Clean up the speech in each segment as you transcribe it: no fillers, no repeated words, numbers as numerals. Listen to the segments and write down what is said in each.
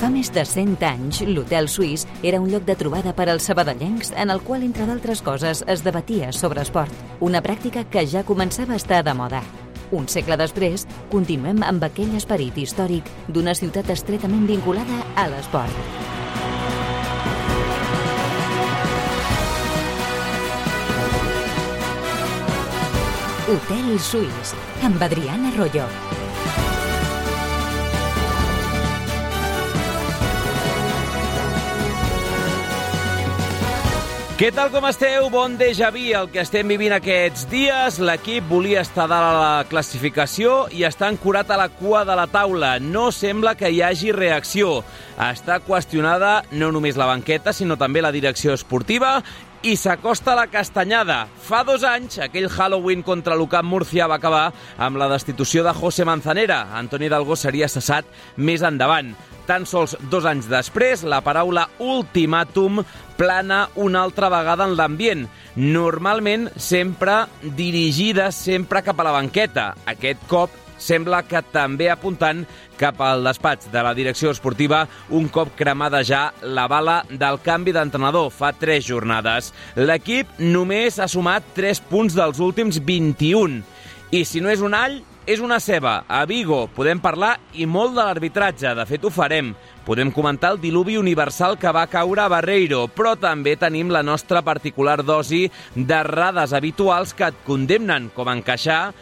Fa més de 100 anys, l'Hotel Suís era un lloc de trobada per als sabadellencs en el qual, entre d'altres coses, es debatia sobre esport, una pràctica que ja començava a estar de moda. Un segle després, continuem amb aquell esperit històric d'una ciutat estretament vinculada a l'esport. Hotel Suís, amb Adriana Arroyo. Què tal com esteu? Bon déjà vu el que estem vivint aquests dies. L'equip volia estar dalt a la classificació i està ancorat a la cua de la taula. No sembla que hi hagi reacció. Està qüestionada no només la banqueta, sinó també la direcció esportiva i s'acosta la castanyada. Fa 2 anys, aquell Halloween contra l'UCAM Múrcia va acabar amb la destitució de José Manzanera. Antoni Dalgó seria cessat més endavant. Tan sols 2 anys després, la paraula ultimàtum plana una altra vegada en l'ambient. Normalment sempre dirigida sempre cap a la banqueta. Aquest cop sembla que també apuntant cap al despatx de la direcció esportiva un cop cremada ja la bala del canvi d'entrenador fa 3 jornades. L'equip només ha sumat 3 punts dels últims 21. I si no és un all, és una ceba. A Vigo podem parlar i molt de l'arbitratge, de fet ho farem. Podem comentar el diluvi universal que va caure a Barreiro, però també tenim la nostra particular dosi d'errades habituals que et condemnen, com encaixar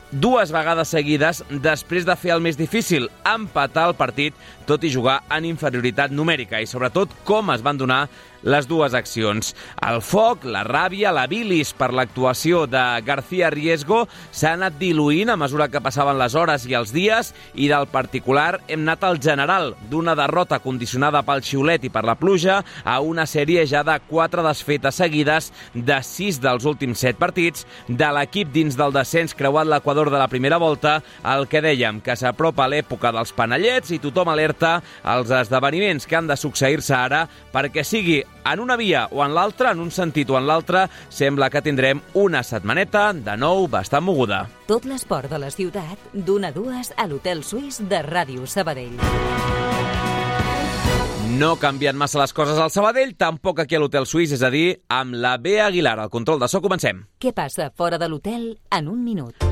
2 vegades seguides després de fer el més difícil, empatar el partit, tot i jugar en inferioritat numèrica, i sobretot com es van donar les 2 accions. El foc, la ràbia, la bilis per l'actuació de García Riesgo s'ha anat diluint a mesura que passaven les hores i els dies, i del particular hem anat al general, d'una derrota condicionada pel xiulet i per la pluja a una sèrie ja de 4 desfetes seguides de 6 dels últims 7 partits, de l'equip dins del descens creuat l'equador de la primera volta, el que dèiem, que s'apropa l'època dels panellets i tothom alerta als esdeveniments que han de succeir-se ara perquè sigui en una via o en l'altra, en un sentit o en l'altre, sembla que tindrem una setmaneta de nou bastant moguda. Tot l'esport de la ciutat, d'1 a 2 a l'Hotel Suís de Ràdio Sabadell. No canvien massa les coses al Sabadell, tampoc aquí a l'Hotel Suís, és a dir, amb la Bea Aguilar. Al control de so, comencem. Què passa fora de l'hotel en un minut?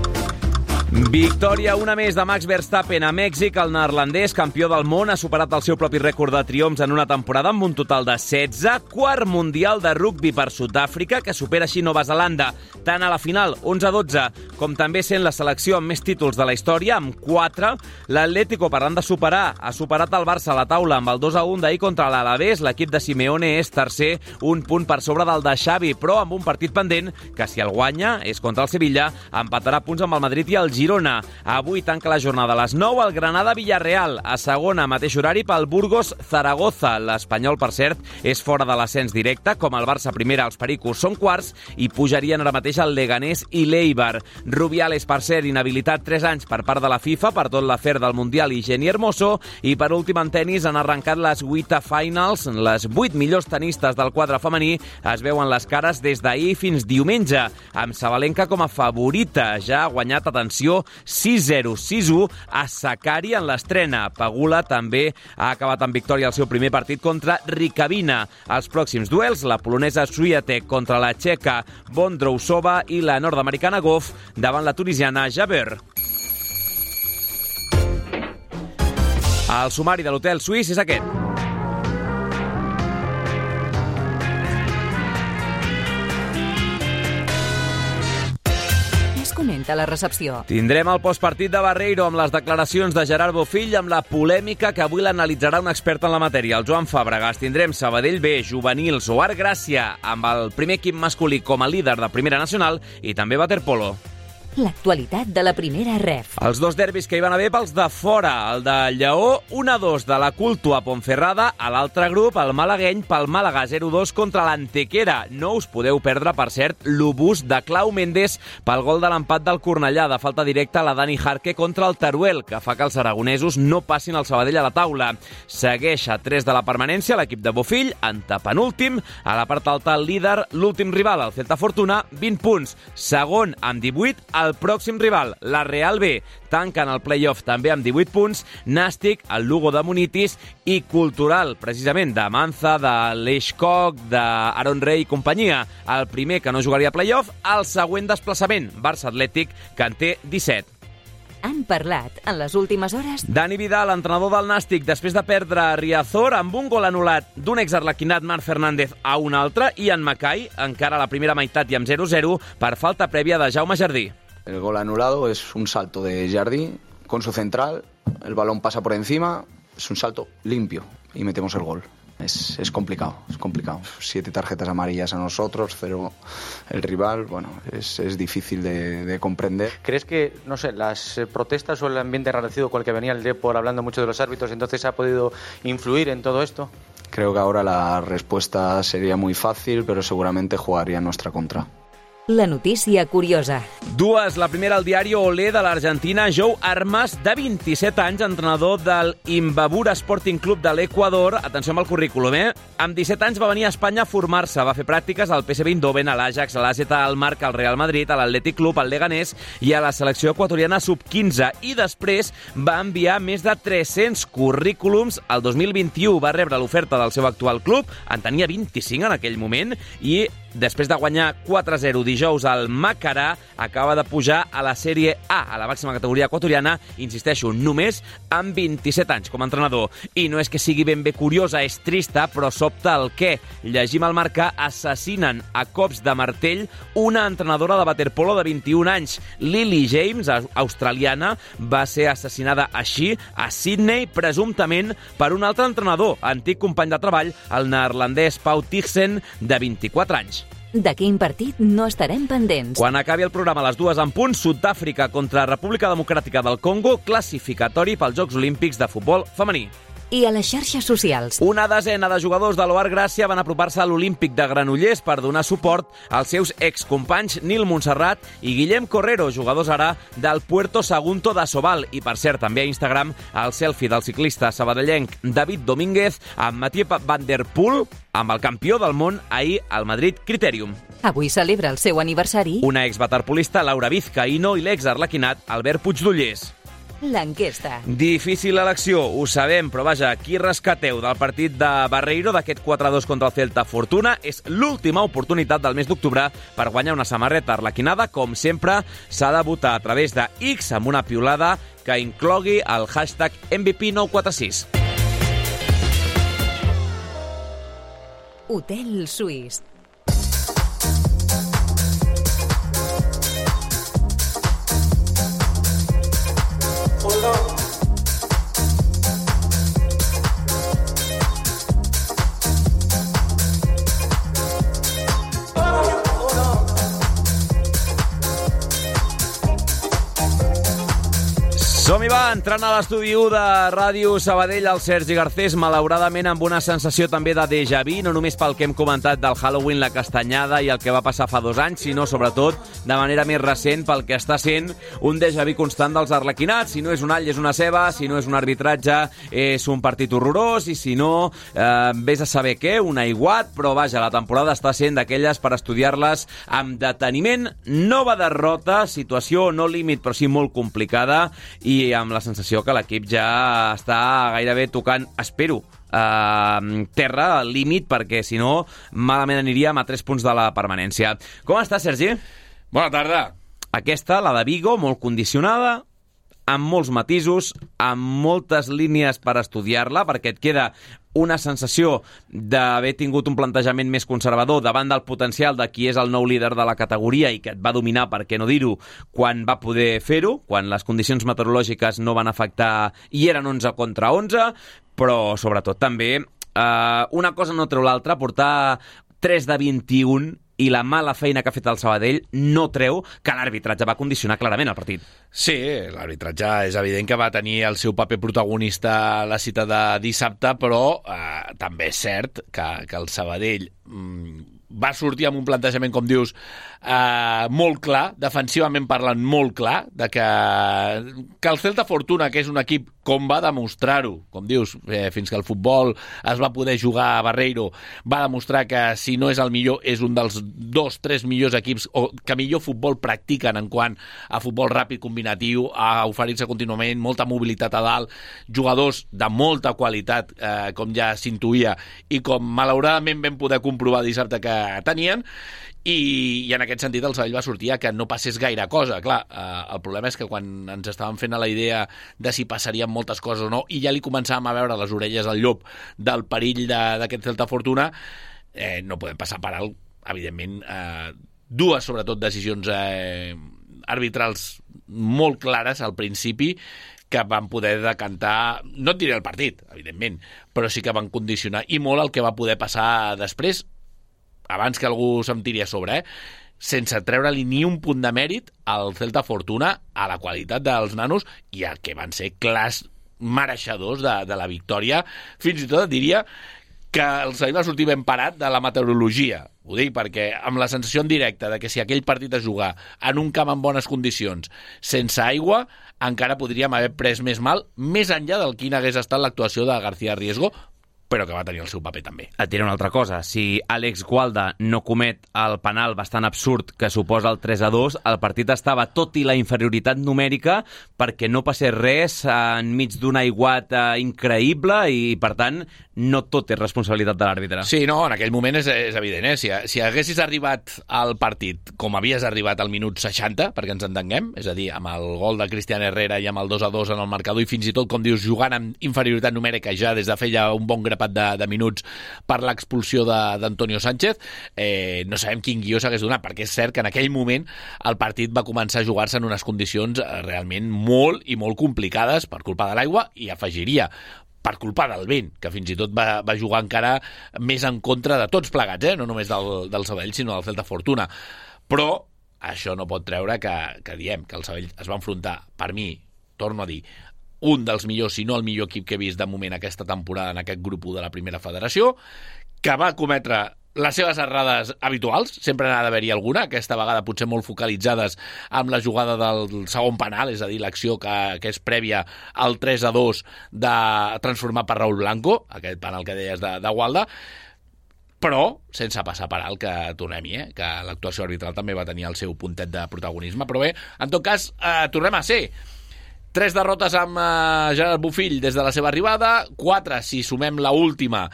Victòria una més de Max Verstappen a Mèxic. El neerlandès, campió del món, ha superat el seu propi rècord de triomfs en una temporada amb un total de 16. Quart mundial de rugbi per Sud-àfrica, que supera així Nova Zelanda, tant a la final, 11-12, com també sent la selecció amb més títols de la història, amb 4. L'Atlético, parlant de superar, ha superat el Barça a la taula amb el 2-1 d'ahir contra l'Alavés. L'equip de Simeone és tercer, un punt per sobre del de Xavi, però amb un partit pendent que, si el guanya, és contra el Sevilla, empatarà punts amb el Madrid i el Girona. Avui tanca la jornada a les 9 el Granada-Villarreal, a segona, mateix horari pel Burgos-Zaragoza. L'Espanyol, per cert, és fora de l'ascens directe, com el Barça primera, els Pericos són quarts i pujarien ara mateix el Leganés i l'Eibar. Rubiales, per cert, inhabilitat 3 anys per part de la FIFA per tot l'afer del Mundial i Jenny Hermoso. I per últim en tenis han arrencat les WTA Finals. Les 8 millors tenistes del quadre femení es veuen les cares des d'ahir fins diumenge, amb Sabalenka com a favorita. Ja ha guanyat, atenció, 6-0, 6-1 a Sakkari en l'estrena. Pegula també ha acabat amb victòria el seu primer partit contra Rikavina. Els pròxims duels, la polonesa Swiatek contra la txeca Bondrousova i la nord-americana Goff davant la tunisiana Jabeur. El sumari de l'Hotel Suís és aquest. Comenta la recepció. Tindrem el postpartit de Barreiro amb les declaracions de Gerard Bofill, amb la polèmica que avui l'analitzarà un expert en la matèria, el Joan Fàbregas. Tindrem Sabadell B, juvenils o Art Gràcia, amb el primer equip masculí com a líder de Primera Nacional, i també waterpolo. L'actualitat de la primera ref. Els 2 derbis que hi van haver pels de fora. El de Lleó, 1-2 de la Culto a Ponferrada. A l'altre grup, el malagueny pel Màlaga, 0-2 contra l'Antequera. No us podeu perdre, per cert, l'obús de Clau Méndez pel gol de l'empat del Cornellà, de falta directa a la Dani Jarque contra el Teruel, que fa que els aragonesos no passin el Sabadell a la taula. Segueix a 3 de la permanència l'equip de Bofill, antepenúltim. A la part alta, el líder, l'últim rival, el Celta Fortuna, 20 punts. Segon, amb 18, el el pròxim rival, la Real B, tanquen el play-off també amb 18 punts, Nàstic, el Lugo de Munitis i Cultural, precisament, de Manza, de l'Eix Coc, d'Aaron Rey i companyia. El primer que no jugaria play-off, el següent desplaçament, Barça Atlètic, que en té 17. Han parlat en les últimes hores. Dani Vidal, entrenador del Nàstic, després de perdre a Riazor amb un gol anul·lat d'un exarlequinat Marc Fernández a un altre, i en Macai, encara a la primera meitat i amb 0-0, per falta prèvia de Jaume Jardí. El gol anulado es un salto de Jardí con su central, el balón pasa por encima, es un salto limpio y metemos el gol. Es complicado, es complicado. 7 tarjetas amarillas a nosotros, 0 el rival, bueno, es difícil de comprender. ¿Crees que, no sé, las protestas o el ambiente enrarecido con el que venía el Depor hablando mucho de los árbitros, entonces ha podido influir en todo esto? Creo que ahora la respuesta sería muy fácil, pero seguramente jugaría en nuestra contra. La notícia curiosa. Dues. La primera, al diari Olé de l'Argentina, Jou Armas, de 27 anys, entrenador del Imbabura Sporting Club de l'Equador. Atenció amb el currículum, Amb 17 anys va venir a Espanya a formar-se. Va fer pràctiques al PSV Eindhoven, a l'Ajax, a l'AZ Alkmaar, al Real Madrid, a l'Atlètic Club, al Leganés i a la selecció equatoriana sub-15. I després va enviar més de 300 currículums. El 2021 va rebre l'oferta del seu actual club, en tenia 25 en aquell moment, i després de guanyar 4-0 dijous al Macarà, acaba de pujar a la Sèrie A, a la màxima categoria equatoriana, insisteixo, només amb 27 anys com a entrenador. I no és que sigui ben bé curiosa, és trista, però sobta el què. Llegim al Marca: assassinen a cops de martell una entrenadora de waterpolo de 21 anys. Lily James, australiana, va ser assassinada així a Sydney, presumptament per un altre entrenador, antic company de treball, el neerlandès Pau Tixen, de 24 anys. De quin partit no estarem pendents? Quan acabi el programa a les 2 en punt, Sud-àfrica contra República Democràtica del Congo, classificatori pels Jocs Olímpics de futbol femení. I a les xarxes socials. Una desena de jugadors de l'Oar Gràcia van apropar-se a l'Olímpic de Granollers per donar suport als seus excompanys Nil Montserrat i Guillem Correro, jugadors ara del Puerto Sagunto de Sobal. I, per cert, també a Instagram, el selfie del ciclista sabadellenc David Domínguez amb Mathieu Van Der Poel, amb el campió del món ahir al Madrid Criterium. Avui celebra el seu aniversari Una exwaterpolista, Laura Vizcaíno, i l'exarlequinat Albert Puigdollers. l'enquesta. Difícil elecció, ho sabem, però vaja, qui rescateu del partit de Barreiro, d'aquest 4-2 contra el Celta Fortuna? És l'última oportunitat del mes d'octubre per guanyar una samarreta arlequinada. Com sempre, s'ha de votar a través de X amb una piulada que inclogui el hashtag MVP946. Hotel Suís. Som-hi, va, entrant a l'estudi 1 de Ràdio Sabadell, el Sergi Garcés, malauradament amb una sensació també de déjà vu, no només pel que hem comentat del Halloween, la castanyada i el que va passar fa 2 anys, sinó sobretot de manera més recent pel que està sent un déjà vu constant dels arlequinats. Si no és un all, és una ceba, si no és un arbitratge, és un partit horrorós, i si no, vés a saber què, un aiguat, però vaja, la temporada està sent d'aquelles per estudiar-les amb deteniment. Nova derrota, situació no límit, però sí molt complicada, i amb la sensació que l'equip ja està gairebé tocant, espero, terra, al límit, perquè si no, malament aniríem a 3 punts de la permanència. Com està, Sergi? Bona tarda. Aquesta, la de Vigo, molt condicionada, amb molts matisos, amb moltes línies per estudiar-la, perquè et queda una sensació d'haver tingut un plantejament més conservador davant del potencial de qui és el nou líder de la categoria i que et va dominar, per què no dir-ho, quan va poder fer-ho, quan les condicions meteorològiques no van afectar i eren 11 contra 11, però sobretot també una cosa no treu l'altra, portar 3 de 21 i la mala feina que ha fet el Sabadell no treu que l'arbitratge va condicionar clarament el partit. Sí, l'arbitratge és evident que va tenir el seu paper protagonista a la cita de dissabte, però també és cert que el Sabadell va sortir amb un plantejament, com dius, molt clar, defensivament parlant molt clar, de que el Celta Fortuna, que és un equip com va demostrar-ho, com dius, fins que el futbol es va poder jugar a Barreiro, va demostrar que si no és el millor, és un dels 2-3 millors equips o que millor futbol practiquen en quant a futbol ràpid combinatiu, a oferir-se contínuament, molta mobilitat a dalt, jugadors de molta qualitat, com ja s'intuïa, i com malauradament vam poder comprovar dissabte que tenien, i en aquest sentit el Sabadell va sortir a que no passés gaire cosa. Clar, el problema és que quan ens estàvem fent a la idea de si passarien moltes coses o no, i ja li començàvem a veure les orelles al llop del perill d'aquest Celta Fortuna, no podem passar per alt, evidentment, dues, sobretot, decisions arbitrals molt clares al principi, que van poder decantar, no et diré el partit, evidentment, però sí que van condicionar i molt el que va poder passar després, abans que algú se'm tiri a sobre, sense treure-li ni un punt de mèrit al Celta Fortuna, a la qualitat dels nanos i el que van ser clars mereixedors de la victòria. Fins i tot diria que el Sabadell va sortir ben parat de la meteorologia. Ho dic perquè amb la sensació en directe de que si aquell partit es jugar en un camp en bones condicions, sense aigua, encara podríem haver pres més mal, més enllà del quina hagués estat l'actuació de García Riesgo, però que va tenir el seu paper també. Et diré una altra cosa. Si Àlex Gualda no comet el penal bastant absurd que suposa el 3-2, el partit estava, tot i la inferioritat numèrica, perquè no passés res enmig d'un aiguat increïble i, per tant, no tot és responsabilitat de l'àrbitre. Sí, no, en aquell moment és evident. Si haguessis arribat al partit com havies arribat al minut 60, perquè ens entenguem, és a dir, amb el gol de Cristian Herrera i amb el 2-2 en el marcador i fins i tot, com dius, jugant amb inferioritat numèrica ja des de feia un bon grapat de minuts per l'expulsió d'Antonio Sánchez, no sabem quin guió s'hagués donat, perquè és cert que en aquell moment el partit va començar a jugar-se en unes condicions realment molt i molt complicades per culpa de l'aigua, i afegiria per culpa del vent, que fins i tot va jugar encara més en contra de tots plegats, no només del Sabadell, sinó del Celta Fortuna. Però això no pot treure que diem que el Sabadell es va enfrontar, per mi, torno a dir, un dels millors, si no el millor equip que he vist de moment aquesta temporada en aquest grup 1 de la primera federació, que va cometre les seves errades habituals, sempre n'ha d'haver-hi alguna, aquesta vegada potser molt focalitzades amb la jugada del segon penal, és a dir, l'acció que és prèvia al 3-2 de transformar per Raúl Blanco, aquest penal que deies de Gualda, però sense passar per alt, que tornem-hi, que l'actuació arbitral també va tenir el seu puntet de protagonisme. Però bé, en tot cas, tornem a ser 3 derrotes amb Gerard Bofill des de la seva arribada, 4 si sumem la última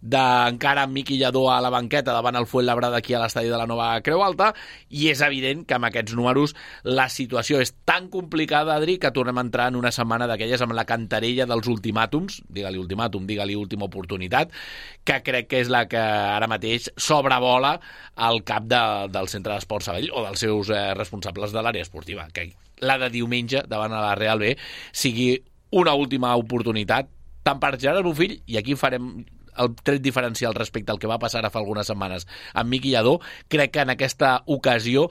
d'encara amb Miqui Lladó a la banqueta davant el Fuenlabrada aquí a l'estadi de la Nova Creu Alta, i és evident que amb aquests números la situació és tan complicada, Adri, que tornem a entrar en una setmana d'aquelles amb la cantarella dels ultimàtums, digue-li ultimàtum, digue-li última oportunitat, que crec que és la que ara mateix sobrevola al cap del Centre d'Esports Sabadell o dels seus responsables de l'àrea esportiva, que la de diumenge davant a la Real B sigui una última oportunitat tant per Gerard Bofill, i aquí farem el tret diferencial respecte al que va passar ara fa algunes setmanes amb Miqui Lladó. Crec que en aquesta ocasió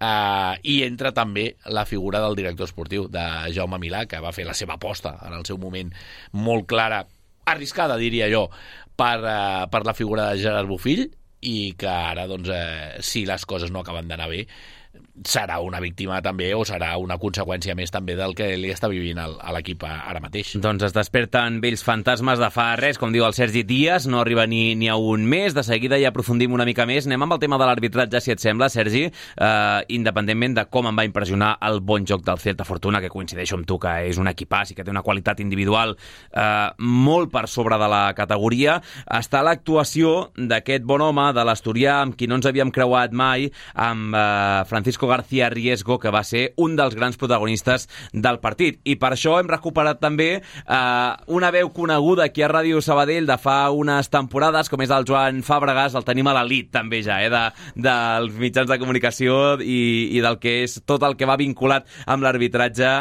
hi entra també la figura del director esportiu, de Jaume Milà, que va fer la seva aposta en el seu moment molt clara, arriscada diria jo, per la figura de Gerard Bofill, i que ara, doncs, si les coses no acaben d'anar bé, serà una víctima també, o serà una conseqüència més també del que li està vivint a l'equip ara mateix. Doncs es desperten vells fantasmes de fa res, com diu el Sergi Díaz, no arriba ni a un mes. De seguida ja aprofundim una mica més. Anem amb el tema de l'arbitratge, si et sembla, Sergi, independentment de com em va impressionar el bon joc del Celta Fortuna, que coincideixo amb tu que és un equipàs i que té una qualitat individual molt per sobre de la categoria. Està l'actuació d'aquest bon home de l'Asturià, amb qui no ens havíem creuat mai, amb Francisco García Riesgo, que va ser un dels grans protagonistes del partit. I per això hem recuperat també una veu coneguda aquí a Ràdio Sabadell de fa unes temporades, com és el Joan Fàbregas. El tenim a l'elit també ja, dels mitjans de comunicació i del que és tot el que va vinculat amb l'arbitratge,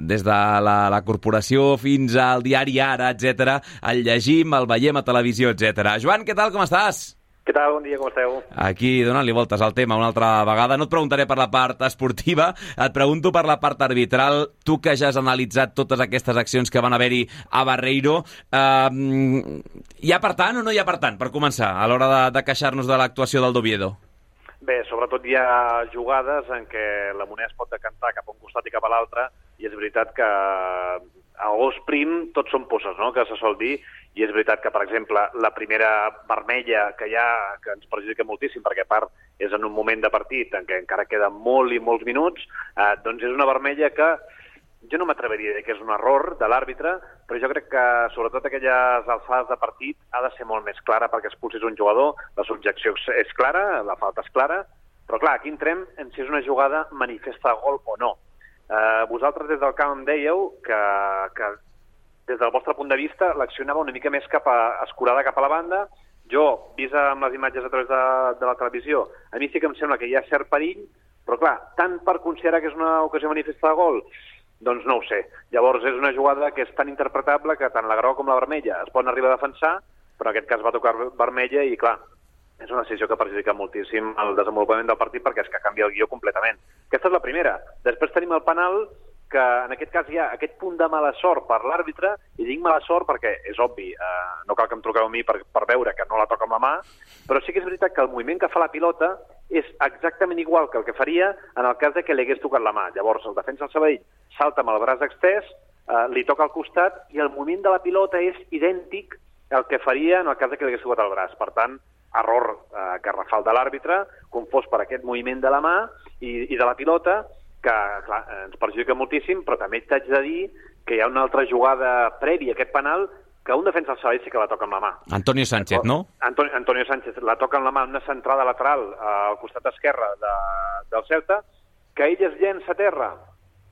des de la corporació fins al diari Ara, etc. El llegim, el veiem a televisió, etc. Joan, què tal, com estàs? Què tal? Bon dia, com esteu? Aquí, donant-li voltes al tema una altra vegada. No et preguntaré per la part esportiva, et pregunto per la part arbitral. Tu que ja has analitzat totes aquestes accions que van haver-hi a Barreiro, hi ha per tant o no hi ha per tant, per començar, a l'hora de queixar-nos de l'actuació del d'Oviedo? Bé, sobretot hi ha jugades en què la moneda es pot decantar cap a un costat i cap a l'altre, i és veritat que a gos prim tots són posses, no?, que se sol dir, i és veritat que, per exemple, la primera vermella que hi ha, que ens perjudica moltíssim, perquè a part és en un moment de partit en què encara queden molt i molts minuts, doncs és una vermella que jo no m'atreveria a dir que és un error de l'àrbitre, però jo crec que, sobretot aquelles alçades de partit, ha de ser molt més clara perquè expulsis un jugador, la subjecció és clara, la falta és clara, però clar, aquí entrem en si és una jugada manifesta de gol o no. Vosaltres des del camp em dèieu que des del vostre punt de vista l'acció anava una mica més escurada cap a la banda. Jo, vist amb les imatges a través de la televisió, a mi sí que em sembla que hi ha cert perill, però clar, tant per considerar que és una ocasió manifesta de gol, doncs no ho sé. Llavors és una jugada que és tan interpretable que tant la groga com la vermella es poden arribar a defensar, però en aquest cas va tocar vermella i, clar, és una decisió que perjudica moltíssim el desenvolupament del partit perquè és que canvia el guió completament. Aquesta és la primera. Després tenim el penal, que en aquest cas hi ha aquest punt de mala sort per l'àrbitre, i dic mala sort perquè és obvi, no cal que em truqueu a mi per veure que no la toca amb la mà, però sí que és veritat que el moviment que fa la pilota és exactament igual que el que faria en el cas de que li hagués tocat la mà. Llavors el defensa del Sabadell salta amb el braç extès, li toca al costat i el moviment de la pilota és idèntic al que faria en el cas de que li hagués tocat el braç. Per tant, error garrafal de l'àrbitre, confós per aquest moviment de la mà i de la pilota, que clar, ens perjudica moltíssim, però també t'haig de dir que hi ha una altra jugada prèvia a aquest penal que un defensa del Sabadell sí que la toca amb la mà. Antonio Sánchez, no? Antonio Sánchez la toca amb la mà, una centrada lateral al costat esquerre del Celta, que ell es llença a terra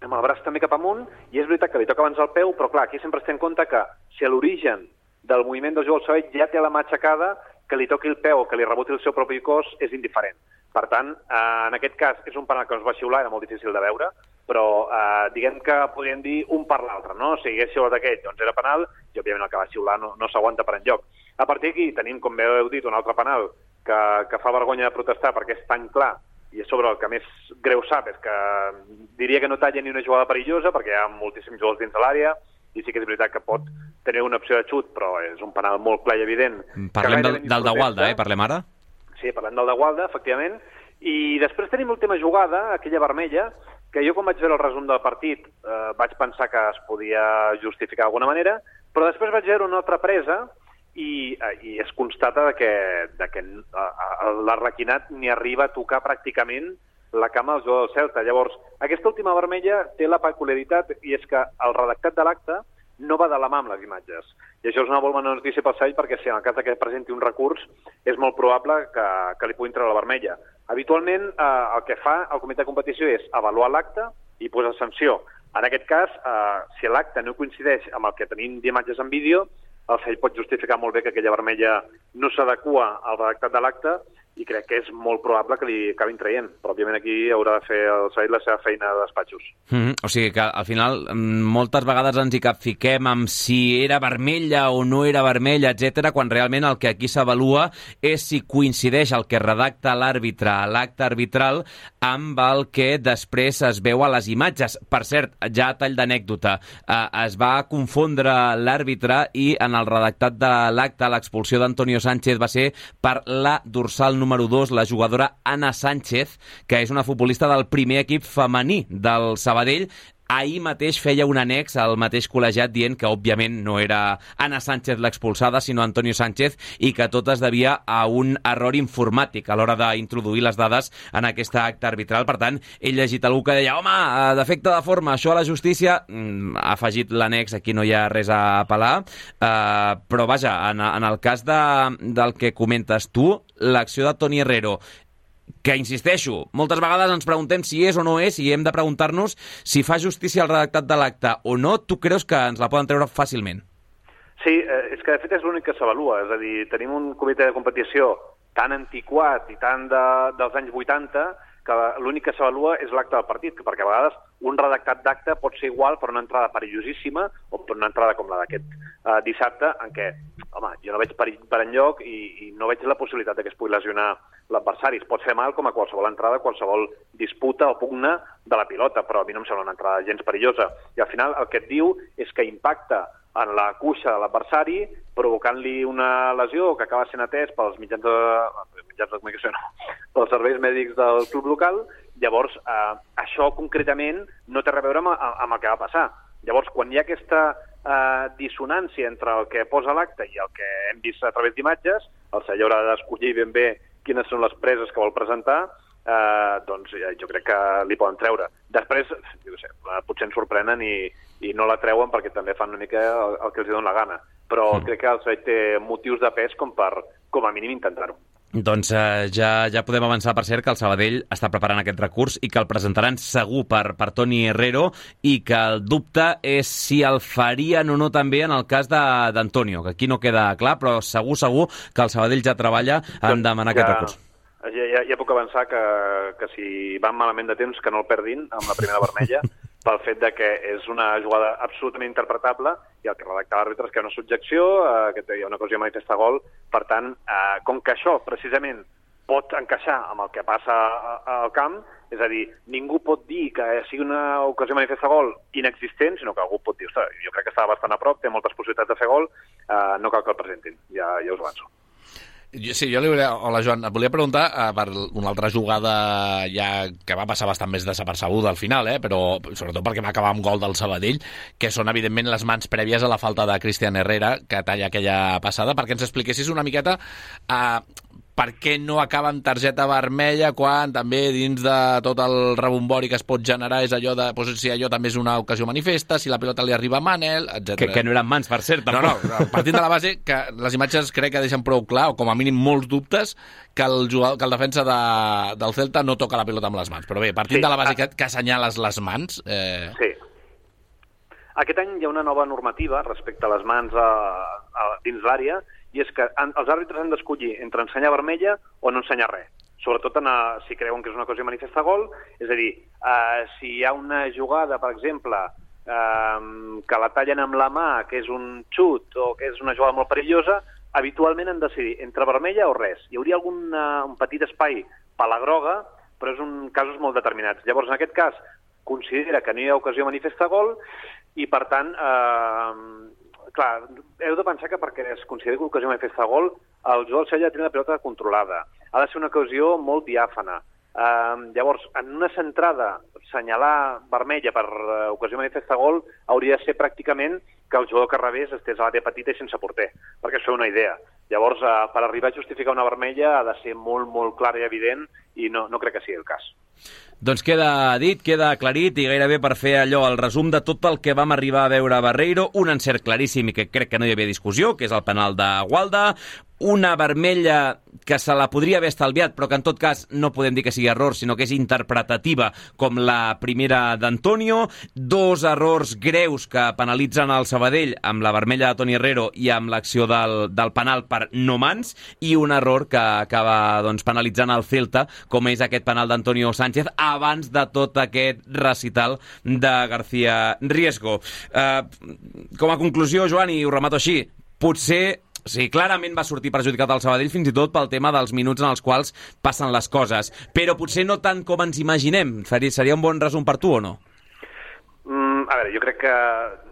amb el braç també cap amunt, i és veritat que li toca abans el peu, però clar, aquí sempre es té en compte que si a l'origen del moviment del jugador del Sabadell ja té la mà aixecada, que li toqui el peu o que li reboti el seu propi cos és indiferent. Per tant, en aquest cas és un penal que ens va xiular, era molt difícil de veure, però diguem que podríem dir un per l'altre, no? Si hagués xiulat aquell, doncs era penal, i òbviament el que va xiular no s'aguanta per enlloc. A partir d'aquí tenim, com bé heu dit, un altre penal que fa vergonya de protestar perquè és tan clar, i és sobre el que més greu sap, és que diria que no talla ni una jugada perillosa perquè hi ha moltíssims jugadors dins de l'àrea, i sí que és veritat que pot tenir una opció de xut, però és un penal molt clar i evident. Parlem del de Gualda, parlem ara? Sí, parlem del de Gualda, efectivament. I després tenim l'última jugada, aquella vermella, que jo quan vaig veure el resum del partit vaig pensar que es podia justificar d'alguna manera, però després vaig veure una altra presa i es constata que l'Arlequinat ni arriba a tocar pràcticament la cama del jugador del Celta. Llavors, aquesta última vermella té la peculiaritat i és que el redactat de l'acte no va de la mà amb les imatges. I això és una molt bona notícia pel Sabadell perquè si en el cas que presenti un recurs és molt probable que li puguin treure la vermella. Habitualment el que fa el comitè de competició és avaluar l'acte i posar sanció. En aquest cas, si l'acte no coincideix amb el que tenim d'imatges en vídeo, el Sabadell pot justificar molt bé que aquella vermella no s'adequa al redactat de l'acte i crec que és molt probable que li acabin traient. Però, òbviament, aquí haurà de fer el Sabadell la seva feina de despatxos. O sigui que, al final, moltes vegades ens hi capfiquem amb si era vermella o no era vermella, etc, quan realment el que aquí s'avalua és si coincideix el que redacta l'àrbitre a l'acte arbitral amb el que després es veu a les imatges. Per cert, ja a tall d'anècdota, es va confondre l'àrbitre i en el redactat de l'acte l'expulsió d'Antonio Sánchez va ser per la dorsal número 2, la jugadora Ana Sánchez, que és una futbolista del primer equip femení del Sabadell. Ahir mateix feia un annex al mateix col·legiat dient que, òbviament, no era Ana Sánchez l'expulsada, sinó Antonio Sánchez, i que tot es devia a un error informàtic a l'hora d'introduir les dades en aquesta acte arbitral. Per tant, he llegit algú que deia home, defecte de forma, això a la justícia, ha afegit l'annex, aquí no hi ha res a apel·lar, però vaja, en el cas del que comentes tu, l'acció de Toni Herrero, que, insisteixo, moltes vegades ens preguntem si és o no és i hem de preguntar-nos si fa justícia al redactat de l'acte o no. Tu creus que ens la poden treure fàcilment? Sí, és que de fet és l'únic que s'avalua. És a dir, tenim un comitè de competició tan antiquat i tan dels anys 80 que l'únic que s'avalua és l'acte del partit, perquè a vegades un redactat d'acte pot ser igual per una entrada perillosíssima o per una entrada com la d'aquest dissabte, en què, home, jo no veig perill per enlloc i no veig la possibilitat que es pugui lesionar l'adversari. Es pot fer mal com a qualsevol entrada, qualsevol disputa o pugna de la pilota, però a mi no em sembla una entrada gens perillosa. I al final el que et diu és que impacta en la cuixa de l'adversari, provocant-li una lesió que acaba sent atès pels mitjans de comunicació, pels serveis mèdics del club local. Llavors, això concretament no té res a veure amb el que va passar. Llavors, quan hi ha aquesta dissonància entre el que posa l'acte i el que hem vist a través d'imatges, el celler haurà d'escollir ben bé quines són les preses que vol presentar, doncs jo crec que li poden treure. Després, jo sé, potser ens sorprenen i no la treuen perquè també fan una mica el que els dona la gana. Però crec que el Sabadell té motius de pes com a mínim intentar-ho. Doncs ja podem avançar, per cert, que el Sabadell està preparant aquest recurs i que el presentaran segur per Toni Herrero i que el dubte és si el farien o no també en el cas d'Antonio, que aquí no queda clar, però segur que el Sabadell ja treballa en demanar aquest recurs. Ja puc avançar que si van malament de temps que no el perdin amb la primera vermella pel fet de que és una jugada absolutament interpretable i el que redacta l'àrbitre és que hi ha una subjecció, que hi ha una ocasió manifesta gol. Per tant, com que això precisament pot encaixar amb el que passa al camp, és a dir, ningú pot dir que sigui una ocasió manifesta gol inexistent, sinó que algú pot dir, ostres, jo crec que estava bastant a prop, té moltes possibilitats de fer gol, no cal que el presentin, ja us ho avanço. Sí, jo hola Joan, et volia preguntar per una altra jugada ja que va passar bastant més desapercebuda al final, però sobretot perquè va acabar amb gol del Sabadell, que són evidentment les mans prèvies a la falta de Cristian Herrera, que talla aquella passada, perquè ens expliquessis una miqueta per què no acaba amb targeta vermella quan també dins de tot el rebombori que es pot generar és allò de si allò també és una ocasió manifesta, si la pilota li arriba a Manel, etc. Que no eren mans, per cert. No, partint de la base que les imatges crec que deixen prou clar, o com a mínim molts dubtes, que el defensa del Celta no toca la pilota amb les mans. Però bé, partint de la base que assenyales les mans... Sí. Aquest any hi ha una nova normativa respecte a les mans dins l'àrea, i és que els àrbitres han d'escollir entre ensenyar vermella o no ensenyar res. Sobretot si creuen que és una cosa manifesta gol, és a dir, si hi ha una jugada, per exemple, que la tallen amb la mà, que és un xut o que és una jugada molt perillosa, habitualment han de decidir entre vermella o res. Hi hauria un petit espai per la groga, però és casos molt determinats. Llavors, en aquest cas, considera que no hi ha ocasió manifesta gol i, per tant, clar, heu de pensar que perquè es consideri que l'ocasió manifesta gol, el jugador del Sevilla ha de tenir la pilota controlada. Ha de ser una ocasió molt diàfana. Llavors, en una centrada, assenyalar vermella per ocasió manifesta gol hauria de ser pràcticament que el jugador que rebés estés a l'àrea petita i sense porter, perquè això és una idea. Llavors, per arribar a justificar una vermella ha de ser molt, molt clar i evident i no crec que sigui el cas. Doncs queda dit, queda aclarit i gairebé per fer allò, el resum de tot el que vam arribar a veure a Barreiro, un encert claríssim i que crec que no hi havia discussió, que és el penal de Gualda, una vermella que se la podria haver estalviat, però que en tot cas no podem dir que sigui error, sinó que és interpretativa, com la primera d'Antonio, dos errors greus que penalitzen el Sabadell amb la vermella de Toni Herrero i amb l'acció del penal per no mans, i un error que acaba penalitzant el Celta, com és aquest penal d'Antonio Sánchez, abans de tot aquest recital de García Riesgo. Com a conclusió, Joan, i ho remato així, potser sí, clarament va sortir perjudicat el Sabadell fins i tot pel tema dels minuts en els quals passen les coses, però potser no tant com ens imaginem. Seria un bon resum per tu o no? A veure, jo crec que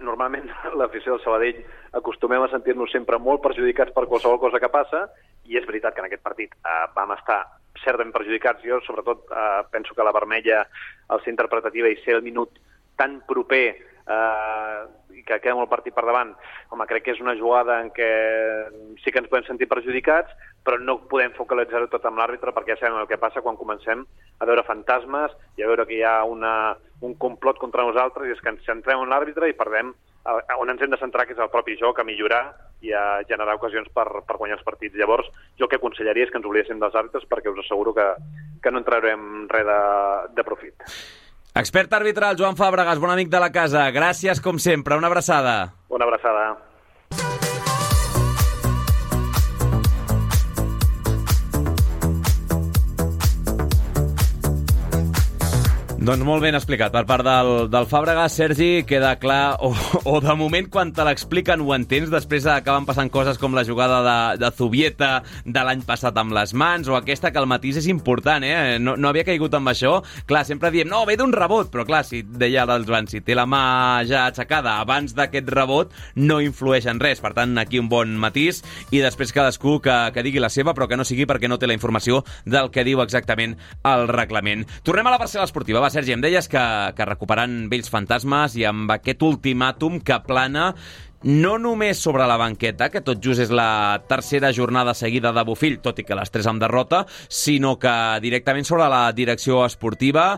normalment l'afició del Sabadell acostumem a sentir-nos sempre molt perjudicats per qualsevol cosa que passa, i és veritat que en aquest partit vam estar certament perjudicats. Jo sobretot penso que la vermella, al ser interpretativa i ser el minut tan proper i que queda molt partit per davant, home, crec que és una jugada en què sí que ens podem sentir perjudicats, però no podem focalitzar-ho tot amb l'àrbitre, perquè ja sabem el que passa quan comencem a veure fantasmes i a veure que hi ha un complot contra nosaltres, i és que ens centrem en l'àrbitre i perdem on ens hem de centrar, que és el propi joc, a millorar i a generar ocasions per guanyar els partits. Llavors, jo el que aconsellaria és que ens oblidéssim dels àrbitres, perquè us asseguro que no en traurem res de profit. Expert arbitral, Joan Fàbregas, bon amic de la casa. Gràcies, com sempre. Una abraçada. Una abraçada. Doncs molt ben explicat per part del Fàbregas. Sergi, queda clar, o de moment quan te l'expliquen ho entens, després acaben passant coses com la jugada de Zubieta de l'any passat amb les mans, o aquesta que el matís és important, no havia caigut amb això. Clar, sempre diem, no, ve d'un rebot, però clar, si deia l'Alban, si té la mà ja aixecada abans d'aquest rebot, no influeix en res. Per tant, aquí un bon matís, i després cadascú que digui la seva, però que no sigui perquè no té la informació del que diu exactament el reglament. Tornem a la parcel·la esportiva. Va, Sergi, em deies que recuperant vells fantasmes i amb aquest ultimàtum que plana no només sobre la banqueta, que tot just és la tercera jornada seguida de Bofill, tot i que les 3 amb derrota, sinó que directament sobre la direcció esportiva.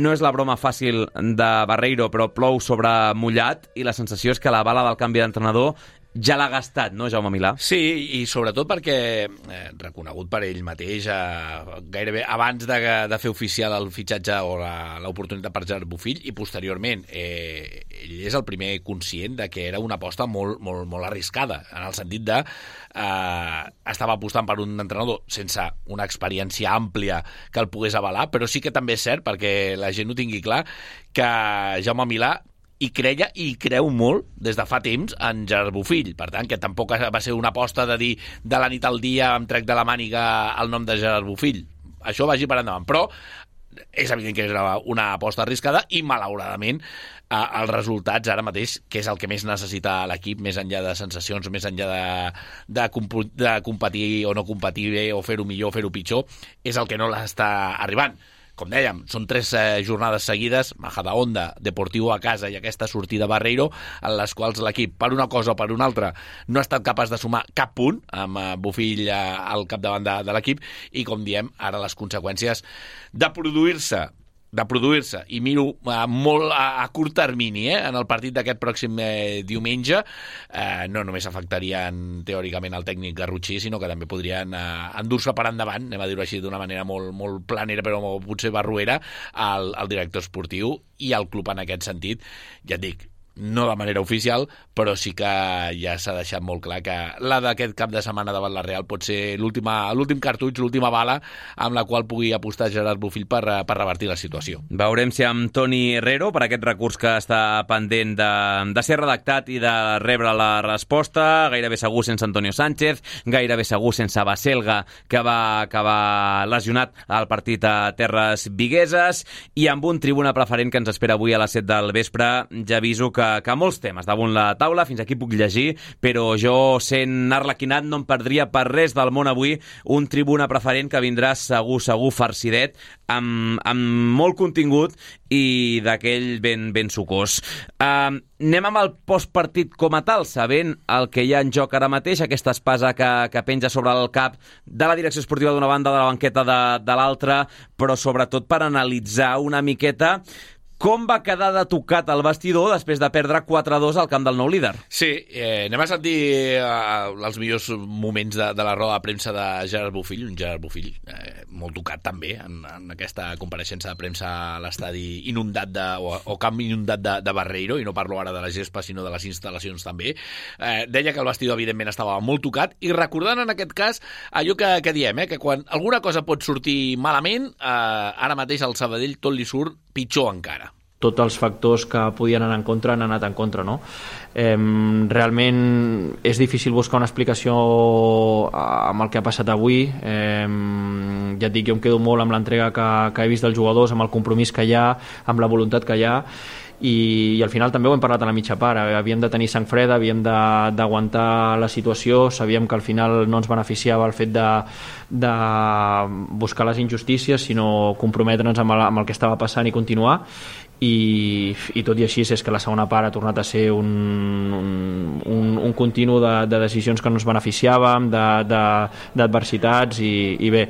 No és la broma fàcil de Barreiro, però plou sobre mullat, i la sensació és que la bala del canvi d'entrenador ja l'ha gastat, no, Jaume Milà? Sí, i sobretot perquè, reconegut per ell mateix, gairebé abans de fer oficial el fitxatge o l'oportunitat per Gerard Bofill, i posteriorment, ell és el primer conscient de que era una aposta molt, molt, molt arriscada, en el sentit de estava apostant per un entrenador sense una experiència àmplia que el pogués avalar, però sí que també és cert, perquè la gent ho tingui clar, que Jaume Milà i creia i creu molt des de fa temps en Gerard Bofill. Per tant, que tampoc va ser una aposta de dir de la nit al dia em trec de la màniga el nom de Gerard Bofill. Això vagi per endavant. Però és evident que era una aposta arriscada i, malauradament, els resultats ara mateix, que és el que més necessita l'equip, més enllà de sensacions, més enllà de competir o no competir bé, o fer-ho millor o fer-ho pitjor, és el que no l'està arribant. Com dèiem, són 3 jornades seguides, Majadahonda, Deportivo a casa i aquesta sortida Barreiro, en les quals l'equip, per una cosa o per una altra, no ha estat capaç de sumar cap punt amb Bofill al capdavant de l'equip, i, com diem, ara les conseqüències de produir-se, i miro molt a curt termini, en el partit d'aquest pròxim diumenge, no només afectarien teòricament el tècnic Garrotxí, sinó que també podrien endur-se per endavant, anem a dir-ho així d'una manera molt, molt planera, però potser barruera, al director esportiu i al club en aquest sentit. Ja et dic, no de manera oficial, però sí que ja s'ha deixat molt clar que la d'aquest cap de setmana davant la Real pot ser l'últim cartutx, l'última bala amb la qual pugui apostar Gerard Bofill per revertir la situació. Veurem si amb Toni Herrero, per aquest recurs que està pendent de ser redactat i de rebre la resposta, gairebé segur sense Antonio Sánchez, gairebé segur sense Baselga, que va acabar lesionat al partit a Terres Vigueses, i amb un tribuna preferent que ens espera avui a les 7 del vespre. Ja aviso que molts temes damunt la taula, fins aquí puc llegir, però jo, sent arlequinat, no em perdria per res del món avui un tribuna preferent que vindrà segur farcidet, amb molt contingut i d'aquell ben sucós. Anem amb el postpartit com a tal, sabent el que hi ha en joc ara mateix, aquesta espasa que penja sobre el cap de la direcció esportiva d'una banda, de la banqueta de l'altra, però sobretot per analitzar una miqueta com va quedar de tocat el vestidor després de perdre 4-2 al camp del nou líder. Sí, anem a sentir els millors moments de la roda de premsa de Gerard Bofill, un Gerard Bofill molt tocat també en aquesta compareixença de premsa a l'estadi inundat o camp inundat de Barreiro, i no parlo ara de la gespa sinó de les instal·lacions també. Deia que el vestidor evidentment estava molt tocat, i recordant en aquest cas allò que diem, que quan alguna cosa pot sortir malament, ara mateix al Sabadell tot li surt pitjor encara. Tots els factors que podien anar en contra han anat en contra, no? Realment és difícil buscar una explicació amb el que ha passat avui. Ja et dic, jo em quedo molt amb l'entrega que he vist dels jugadors, amb el compromís que hi ha, amb la voluntat que hi ha, i al final també ho hem parlat a la mitja part. Havíem de tenir sang freda, havíem d'aguantar la situació, sabíem que al final no ens beneficiava el fet de buscar les injustícies, sinó comprometre'ns amb el que estava passant i continuar. I tot i així és que la segona part ha tornat a ser un continu de decisions que no ens beneficiàvem, d'adversitats, i bé.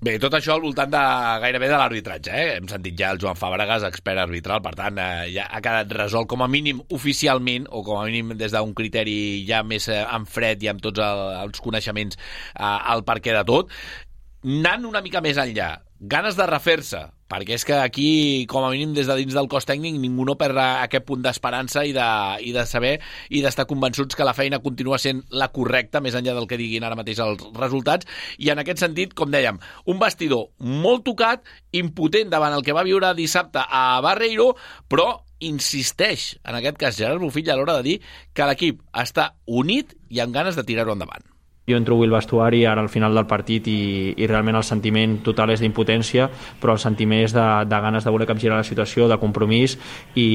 Bé, tot això al voltant gairebé de l'arbitratge, Hem sentit ja el Joan Fàbregas, expert arbitral, per tant, ja ha quedat resolt com a mínim oficialment, o com a mínim des d'un criteri ja més en fred i amb tots els coneixements al perquè de tot. Anant una mica més enllà, ganes de refer-se perquè és que aquí, com a mínim des de dins del cos tècnic, ningú no perd aquest punt d'esperança i de saber i d'estar convençuts que la feina continua sent la correcta, més enllà del que diguin ara mateix els resultats, i en aquest sentit, com dèiem, un vestidor molt tocat, impotent davant el que va viure dissabte a Barreiro, però insisteix, en aquest cas Gerard Bofill, a l'hora de dir que l'equip està unit i amb ganes de tirar-ho endavant. Jo entro avui al vestuari ara al final del partit i realment el sentiment total és d'impotència, però el sentiment és de ganes de voler capgirar la situació, de compromís, i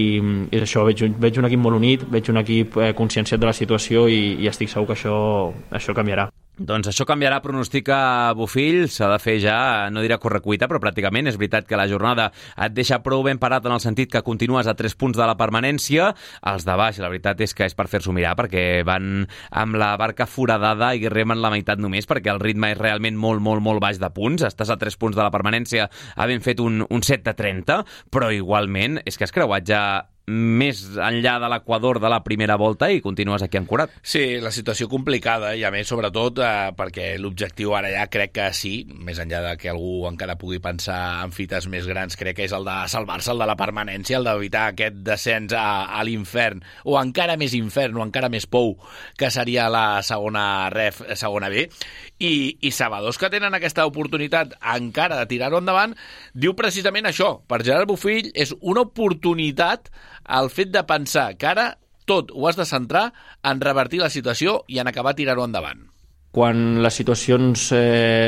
és això, veig un equip molt unit, veig un equip conscienciat de la situació i estic segur que això canviarà. Doncs això canviarà, pronostica Bofill, s'ha de fer ja, no diré correcuita, però pràcticament és veritat que la jornada et deixa prou ben parat en el sentit que continues a 3 punts de la permanència. Els de baix, la veritat és que és per fer-s'ho mirar, perquè van amb la barca foradada i remen la meitat només, perquè el ritme és realment molt, molt, molt baix de punts. Estàs a 3 punts de la permanència havent fet un 7 de 30, però igualment és que has creuat ja més enllà de l'equador de la primera volta i continues aquí ancorat. Sí, la situació complicada i a més sobretot perquè l'objectiu ara ja crec que sí, més enllà de que algú encara pugui pensar en fites més grans, crec que és el de salvar-se, el de la permanència, el d'evitar aquest descens a l'infern, o encara més infern, o encara més pou, que seria la segona ref, segona B, i Sabadors, que tenen aquesta oportunitat encara de tirar-ho endavant, diu precisament això. Per Gerard Bofill és una oportunitat el fet de pensar que ara tot ho has de centrar en revertir la situació i en acabar tirant-ho endavant. Quan les situacions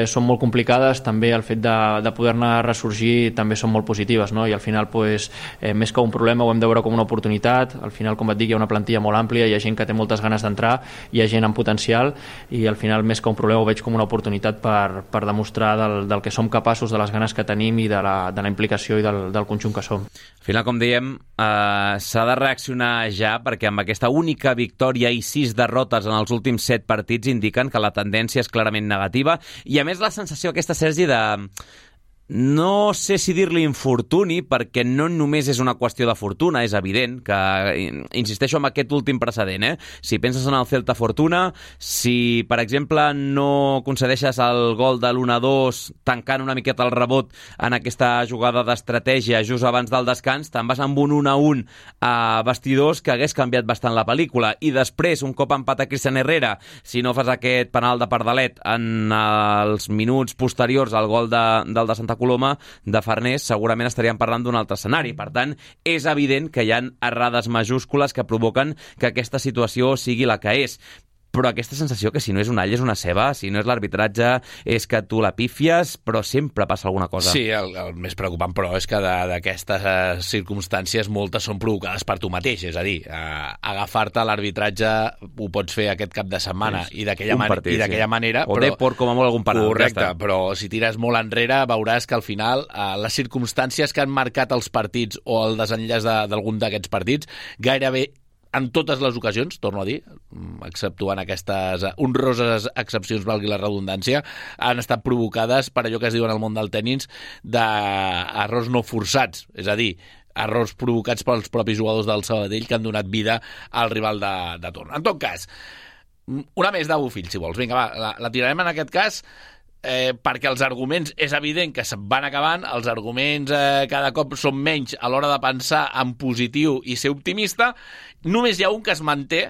són molt complicades, també el fet de poder-ne ressorgir també són molt positives, no? I al final, més que un problema, ho hem de veure com una oportunitat. Al final, com et dic, hi ha una plantilla molt àmplia, hi ha gent que té moltes ganes d'entrar, hi ha gent amb potencial, i al final, més que un problema, ho veig com una oportunitat per demostrar del que som capaços, de les ganes que tenim i de la implicació i del conjunt que som. Al final, com dèiem, s'ha de reaccionar ja, perquè amb aquesta única victòria i 6 derrotes en els últims 7 partits indiquen que la tendència és clarament negativa, i a més la sensació aquesta, Sergi, de... No sé si dir-li infortuni, perquè no només és una qüestió de fortuna, és evident que, insisteixo en aquest últim precedent, si penses en el Celta Fortuna, si, per exemple, no concedeixes el gol de l'1-2 tancant una miqueta el rebot en aquesta jugada d'estratègia just abans del descans, te'n vas amb un 1-1 a vestidors que hagués canviat bastant la pel·lícula, i després, un cop empata Cristian Herrera, si no fas aquest penal de Pardalet en els minuts posteriors al gol del de Santa Coloma, de Farners, segurament estaríem parlant d'un altre escenari. Per tant, és evident que hi ha errades majúscules que provoquen que aquesta situació sigui la que és. Però aquesta sensació que si no és un all és una ceba, si no és l'arbitratge és que tu la pífies, però sempre passa alguna cosa. Sí, el més preocupant, però, és que d'aquestes circumstàncies moltes són provocades per tu mateix, és a dir, agafar-te l'arbitratge ho pots fer aquest cap de setmana i d'aquella manera... O Depor, com a molt algun penal. Correcte, però si tires molt enrere veuràs que al final les circumstàncies que han marcat els partits o el desenllaç d'algun d'aquests partits gairebé en totes les ocasions, torno a dir, exceptuant aquestes honroses excepcions, valgui la redundància, han estat provocades per allò que es diu en el món del tenis d'errors no forçats, és a dir, errors provocats pels propis jugadors del Sabadell que han donat vida al rival de torn. En tot cas, una més de Bofill, si vols. Vinga, va, la tirarem en aquest cas perquè els arguments és evident que se'n van acabant, els arguments cada cop són menys a l'hora de pensar en positiu i ser optimista. Només hi ha un que es manté,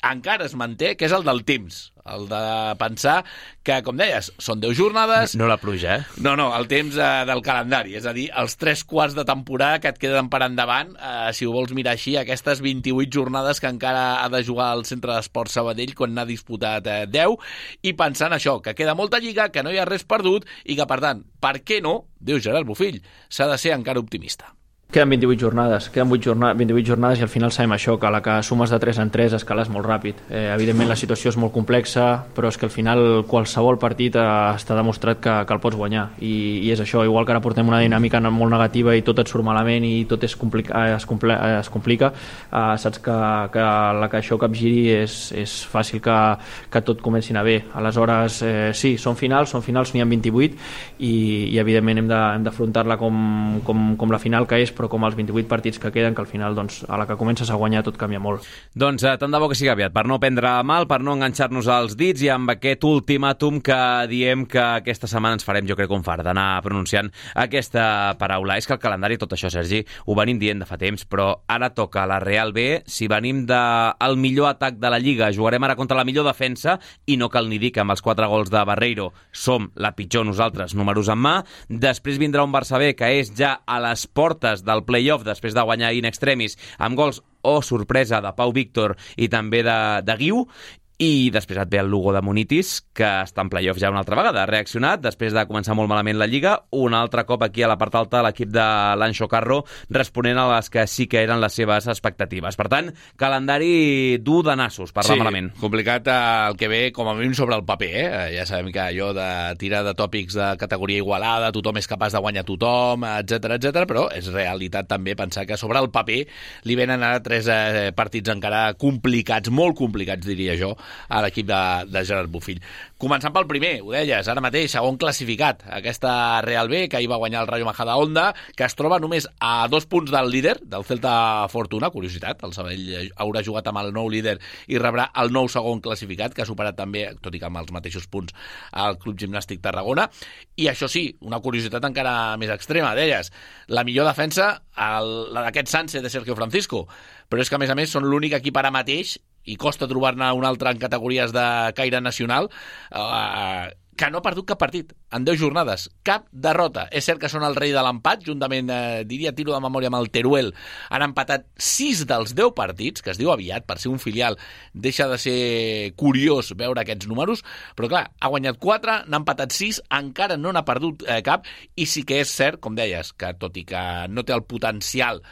encara es manté, que és el del temps, el de pensar que, com deies, són 10 jornades... No la pluja, No, el temps del calendari, és a dir, els 3 quarts de temporada que et queden per endavant, si ho vols mirar així, aquestes 28 jornades que encara ha de jugar al Centre d'Esports Sabadell quan n'ha disputat 10, i pensant això, que queda molta lliga, que no hi ha res perdut, i que, per tant, per què no, diu Gerard Bofill, s'ha de ser encara optimista. Queden 28 jornades, 28 jornades i al final sabem això, que a la que sumes de 3 en 3 escales molt ràpid. Evidentment la situació és molt complexa, però és que al final qualsevol partit està demostrat que el pots guanyar, i és això, igual que ara portem una dinàmica molt negativa i tot et surt malament i tot es complica, saps que la que això capgiri és fàcil que tot comenci a anar bé. Aleshores, sí, són finals, n'hi ha 28 i evidentment hem d'afrontar-la com la final que és, però com els 28 partits que queden, que al final doncs, a la que comences a guanyar tot canvia molt. Doncs tant de bo que sigui aviat, per no prendre mal, per no enganxar-nos als dits, i amb aquest ultimàtum que diem que aquesta setmana ens farem, jo crec, un fart d'anar pronunciant aquesta paraula. És que el calendari, tot això, Sergi, ho venim dient de fa temps, però ara toca la Real B. Si venim del millor atac de la Lliga, jugarem ara contra la millor defensa, i no cal ni dir que amb els 4 gols de Barreiro som la pitjor nosaltres, números en mà. Després vindrà un Barça B, que és ja a les portes del play-off, després de guanyar in extremis, amb gols, sorpresa, de Pau Víctor i també de Guiu. I després et ve el Lugo de Munitis, que està en play-off ja una altra vegada. Ha reaccionat, després de començar molt malament la Lliga, un altre cop aquí a la part alta l'equip de l'Anxo Carro, responent a les que sí que eren les seves expectatives. Per tant, calendari dur de nassos, parlar malament. Complicat el que ve, com a mínim, sobre el paper. Ja sabem que allò de tirar de tòpics de categoria igualada, tothom és capaç de guanyar tothom, etc, però és realitat també pensar que sobre el paper li venen ara 3 partits encara complicats, molt complicats, diria jo, a l'equip de Gerard Bofill. Començant pel primer, ho deies, ara mateix, segon classificat, aquesta Real B, que ahir va guanyar el Rayo Majadahonda, que es troba només a 2 punts del líder, del Celta Fortuna. Curiositat, el Sabadell haurà jugat amb el nou líder i rebrà el nou segon classificat, que ha superat també, tot i que amb els mateixos punts, el Club Gimnàstic Tarragona. I això sí, una curiositat encara més extrema, deies, la millor defensa, la d'aquest Sanse de Sergio Francisco, però és que a més són l'únic equip ara mateix, i costa trobar-ne un altre en categories de caire nacional, que no ha perdut cap partit en 10 jornades, cap derrota. És cert que són el rei de l'empat, juntament, diria, tiro de memòria amb el Teruel, han empatat 6 dels 10 partits, que es diu aviat, per ser un filial deixa de ser curiós veure aquests números, però clar, ha guanyat 4, n'ha empatat 6, encara no n'ha perdut cap, i sí que és cert, com deies, que tot i que no té el potencial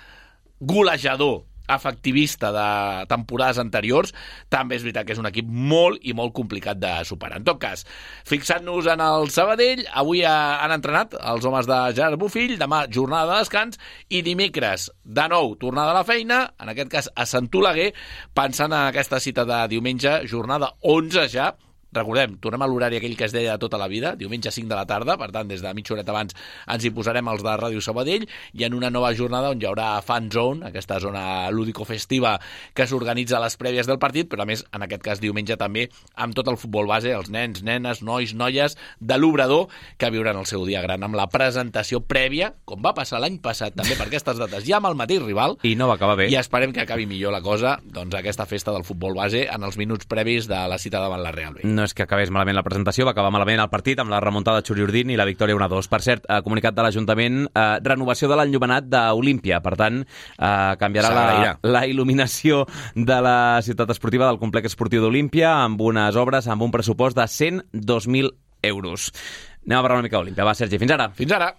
golejador efectivista de temporades anteriors, també és veritat que és un equip molt i molt complicat de superar. En tot cas, fixant-nos en el Sabadell, avui han entrenat els homes de Gerard Bofill, demà jornada de descans, i dimecres, de nou, tornada a la feina, en aquest cas a Sant Oleguer, pensant en aquesta cita de diumenge, jornada 11 ja. Recordem, tornem a l'horari aquell que es deia de tota la vida, diumenge 5 de la tarda, per tant, des de mitja horeta abans ens hi posarem els de Ràdio Sabadell, i en una nova jornada on hi haurà Fan Zone, aquesta zona lúdico-festiva que s'organitza a les prèvies del partit, però a més, en aquest cas diumenge també, amb tot el futbol base, els nens, nenes, nois, noies de l'Obrador, que viuran el seu dia gran amb la presentació prèvia, com va passar l'any passat també per aquestes dates, ja amb el mateix rival, i no va acabar bé. I esperem que acabi millor la cosa, doncs aquesta festa del futbol base en els minuts previs de la cita davant la Real B. No és que acabés malament la presentació, va acabar malament el partit amb la remuntada de Xuriurdin i la victòria 1-2. Per cert, comunicat de l'Ajuntament, renovació de l'enllumenat d'Olímpia. Per tant, canviarà la il·luminació de la ciutat esportiva del complex esportiu d'Olímpia amb unes obres amb un pressupost de 102.000 euros. Anem a parlar una mica d'Olímpia. Va, Sergi, fins ara. Fins ara.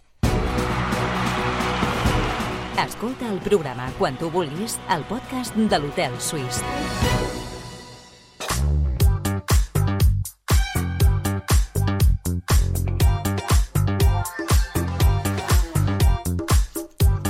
Escolta el programa quan tu vulguis al podcast de l'Hotel Suís.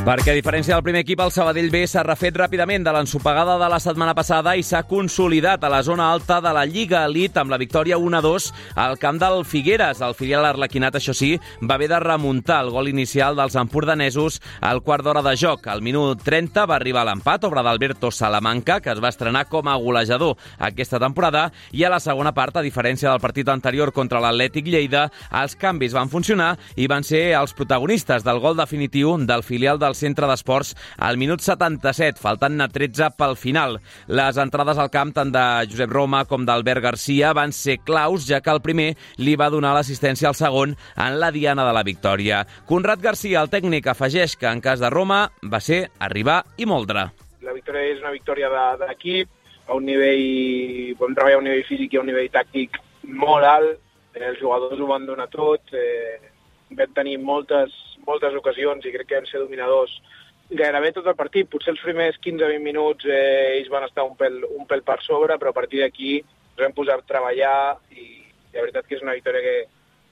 Perquè, a diferència del primer equip, el Sabadell B s'ha refet ràpidament de l'ensopegada de la setmana passada i s'ha consolidat a la zona alta de la Lliga Elite amb la victòria 1-2 al camp del Figueres. El filial arlequinat, això sí, va haver de remuntar el gol inicial dels empordanesos al quart d'hora de joc. Al minut 30 va arribar l'empat, obra d'Alberto Salamanca, que es va estrenar com a golejador aquesta temporada, i a la segona part, a diferència del partit anterior contra l'Atlètic Lleida, els canvis van funcionar i van ser els protagonistes del gol definitiu del filial del centre d'esports al minut 77, faltant-ne 13 pel final. Les entrades al camp tant de Josep Roma com d'Albert Garcia van ser claus, ja que el primer li va donar l'assistència al segon en la diana de la victòria. Conrad Garcia, el tècnic, afegeix que en cas de Roma va ser arribar i moldre. La victòria és una victòria d'equip, a un nivell, podem treballar a un nivell físic i a un nivell tàctic molt alt, els jugadors ho van donar tot, vam tenir moltes ocasions i crec que vam ser dominadors gairebé tot el partit. Potser els primers 15-20 minuts ells van estar un pèl per sobre, però a partir d'aquí ens vam posar a treballar i la veritat que és una victòria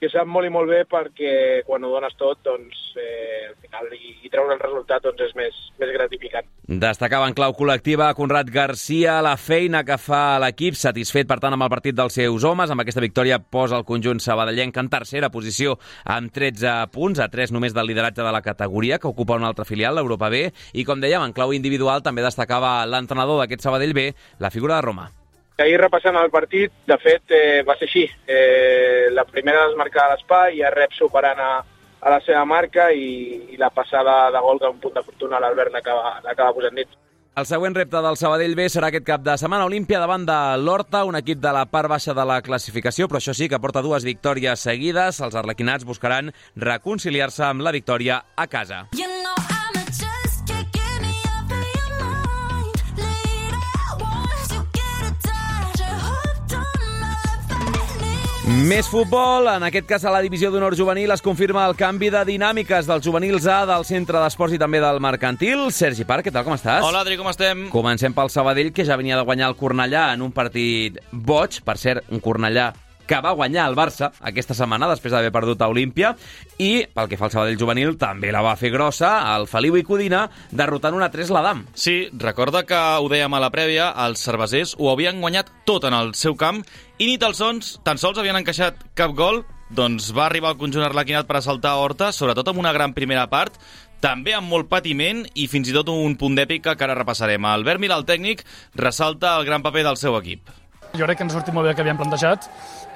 sap molt i molt bé, perquè quan ho dones tot, doncs, al final i treure el resultat doncs, és més gratificant. Destacava en clau col·lectiva Conrad Garcia la feina que fa l'equip, satisfet per tant amb el partit dels seus homes. Amb aquesta victòria posa el conjunt sabadellenc en tercera posició amb 13 punts, a 3 només del lideratge de la categoria, que ocupa una altra filial, l'Europa B, i com dèiem, en clau individual també destacava l'entrenador d'aquest Sabadell B, la figura de Roma. Ahir repassant el partit, de fet, va ser així. La primera desmarcada a l'espai, ja Rep superant a la seva marca i la passada de gol, que un punt de fortuna l'Albert l'acaba posant dit. El següent repte del Sabadell B serà aquest cap de setmana Olímpia davant de l'Horta, un equip de la part baixa de la classificació, però això sí, que porta 2 victòries seguides. Els arlequinats buscaran reconciliar-se amb la victòria a casa. Més futbol, en aquest cas a la divisió d'honor juvenil es confirma el canvi de dinàmiques dels juvenils A del centre d'esports i també del mercantil. Sergi Parc, què tal, com estàs? Hola, Adri, com estem? Comencem pel Sabadell, que ja venia de guanyar el Cornellà en un partit boig, per cert, un Cornellà que va guanyar el Barça aquesta setmana després d'haver perdut a Olímpia, i pel que fa al Sabadell juvenil també la va fer grossa el Feliu i Codina, derrotant 1-3 l'Adam. Sí, recorda que ho dèiem a la prèvia, els cervesers ho havien guanyat tot en el seu camp i ni tan sols havien encaixat cap gol. Doncs va arribar el conjunt arlequinat per assaltar Horta, sobretot amb una gran primera part, també amb molt patiment i fins i tot un punt d'èpica que ara repassarem. Albert Milà, el tècnic, ressalta el gran paper del seu equip. Jo crec que ens ha sortit molt bé el que havíem plantejat.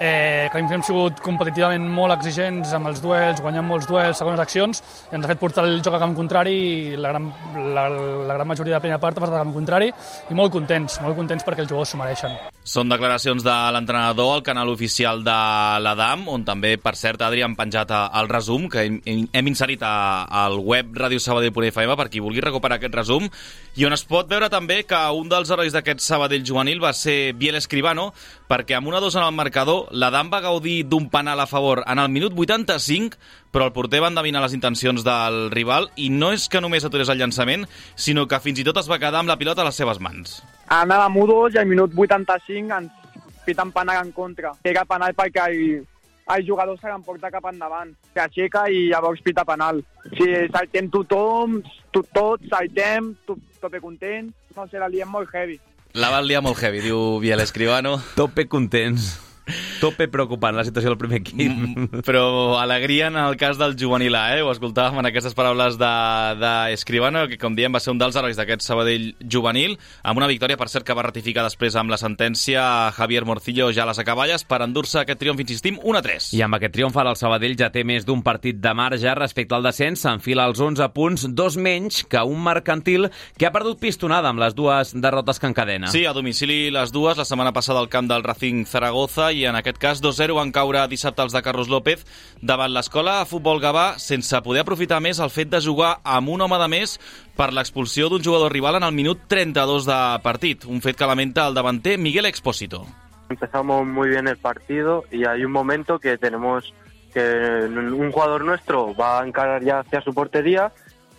Que hem sigut competitivament molt exigents amb els duels, guanyant molts duels, segones accions, i ens ha fet portar el joc a camp contrari, i la gran majoria de la primera part ha passat a camp contrari, i molt contents perquè els jugadors s'ho mereixen. Són declaracions de l'entrenador al canal oficial de l'Adam, on també, per cert, Adri, han penjat el resum, que hem inserit al web radiosabadell.fm per qui vulgui recuperar aquest resum, i on es pot veure també que un dels herois d'aquest Sabadell juvenil va ser Biel Escribano, perquè amb 1-2 en el marcador, l'Adam va gaudir d'un penal a favor en el minut 85, però el porter va endevinar les intencions del rival i no és que només aturés el llançament, sinó que fins i tot es va quedar amb la pilota a les seves mans. Anàvem 1-2 i al minut 85 ens piten penal en contra. Era penal perquè el jugador se l'emporta cap endavant. S'aixeca i llavors pita penal. Si saltem tothom, tots saltem, tope content, no sé, la liem molt heavy. La van liar molt heavy, diu Biel Escribano. Tope contents. Tope preocupant la situació del primer equip. Però alegria en el cas del juvenil A, Ho escoltàvem en aquestes paraules d'Escribano, que com diem va ser un dels herois d'aquest Sabadell juvenil, amb una victòria, per cert, que va ratificar després amb la sentència Javier Morcillo ja a les acaballes per endur-se aquest triomf, insistim, 1-3. I amb aquest triomf el Sabadell ja té més d'un partit de marge respecte al descens, s'enfila als 11 punts, 2 menys que un mercantil que ha perdut pistonada amb les 2 derrotes que encadena. Sí, a domicili les 2, la setmana passada al camp del Racing Zaragoza, i en aquest cas 2-0 van caure dissabte els de Carlos López davant l'Escola de Futbol Gavà, sense poder aprofitar més el fet de jugar amb un home de més per l'expulsió d'un jugador rival en el minut 32 de partit, un fet que lamenta el davanter Miguel Expósito. Empezamos muy bien el partido y hay un momento que tenemos que un jugador nuestro va a encarar ya hacia su portería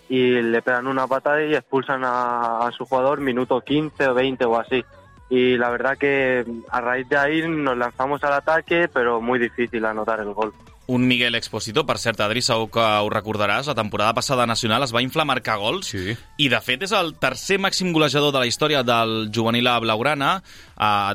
y le pegan una patada y expulsan a su jugador minuto 15 o 20 o así. Y la verdad que a raíz de ahí nos lanzamos al ataque, pero muy difícil anotar el gol. Un Miguel Expósito, per cert, Adri, segur que ho recordaràs, la temporada passada nacional es va inflar a marcar gols, sí. I de fet és el tercer màxim golejador de la història del juvenil a blaugrana,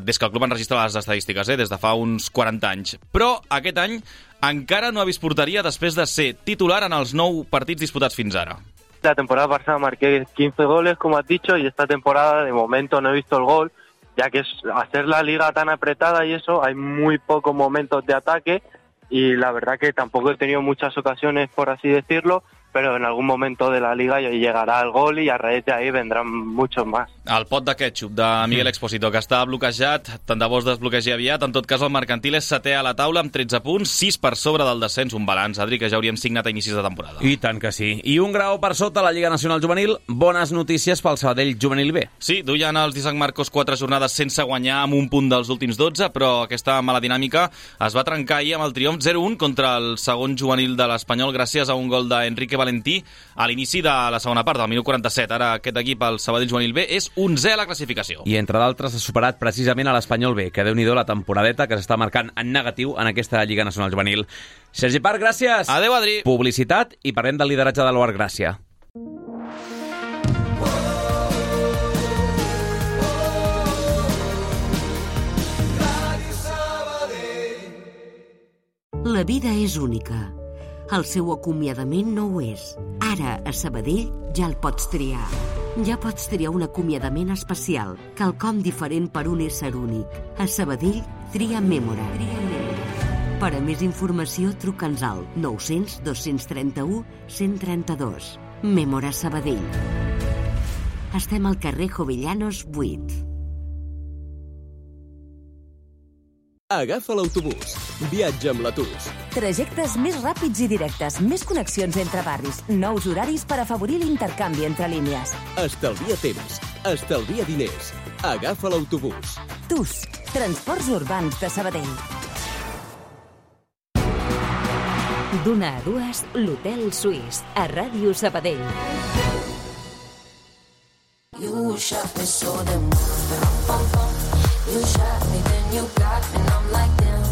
des que el club enregistra les estadístiques, des de fa uns 40 anys. Però aquest any encara no ha vist porteria després de ser titular en els 9 partits disputats fins ara. La temporada pasada marqué 15 goles, como has dicho, y esta temporada de momento no he visto el gol, ya que al ser la liga tan apretada y eso, hay muy pocos momentos de ataque y la verdad que tampoco he tenido muchas ocasiones, por así decirlo, però en algun moment de la Liga llegarà el gol i a raíz de ahí vendrán muchos más. El pot de ketchup de Miguel Expósito, que està bloquejat, tant de bo es desbloquegi aviat. En tot cas, el mercantil és setè a la taula amb 13 punts, 6 per sobre del descens, un balanç, Adri, que ja hauríem signat a inicis de temporada. I tant que sí. I un grau per sota la Lliga Nacional Juvenil, bones notícies pel Sabadell Juvenil B. Sí, duien els d'Isaac Marcos 4 jornades sense guanyar amb un punt dels últims 12, però aquesta mala dinàmica es va trencar ahir amb el triomf 0-1 contra el segon juvenil de l'Espanyol gràcies a un gol d'Enrique Valentí a l'inici de la segona part, del minut 47. Ara aquest equip, el Sabadell Juvenil B, és 11è a la classificació. I entre d'altres ha superat precisament a l'Espanyol B, que Déu-n'hi-do la temporadeta que s'està marcant en negatiu en aquesta Lliga Nacional Juvenil. Sergi Parc, gràcies! Adéu, Adri! Publicitat i parlem del lideratge de l'Oar Gràcia. La vida és única. El seu acomiadament no ho és. Ara, a Sabadell, ja el pots triar. Ja pots triar un acomiadament especial, quelcom diferent per un ésser únic. A Sabadell, tria Mémora. Per a més informació, truca'ns al 900 231 132. Mémora Sabadell. Estem al carrer Jovellanos 8. Agafa l'autobús. Viatja amb la TUS. Trajectes més ràpids i directes, més connexions entre barris, nous horaris per afavorir l'intercanvi entre línies. Estalvia temps, estalvia diners. Agafa l'autobús. TUS, Transports Urbans de Sabadell. D'una a dues, l'Hotel Suís, a Ràdio Sabadell. You shot me so damn You shot me, then you got me, and I'm like damn,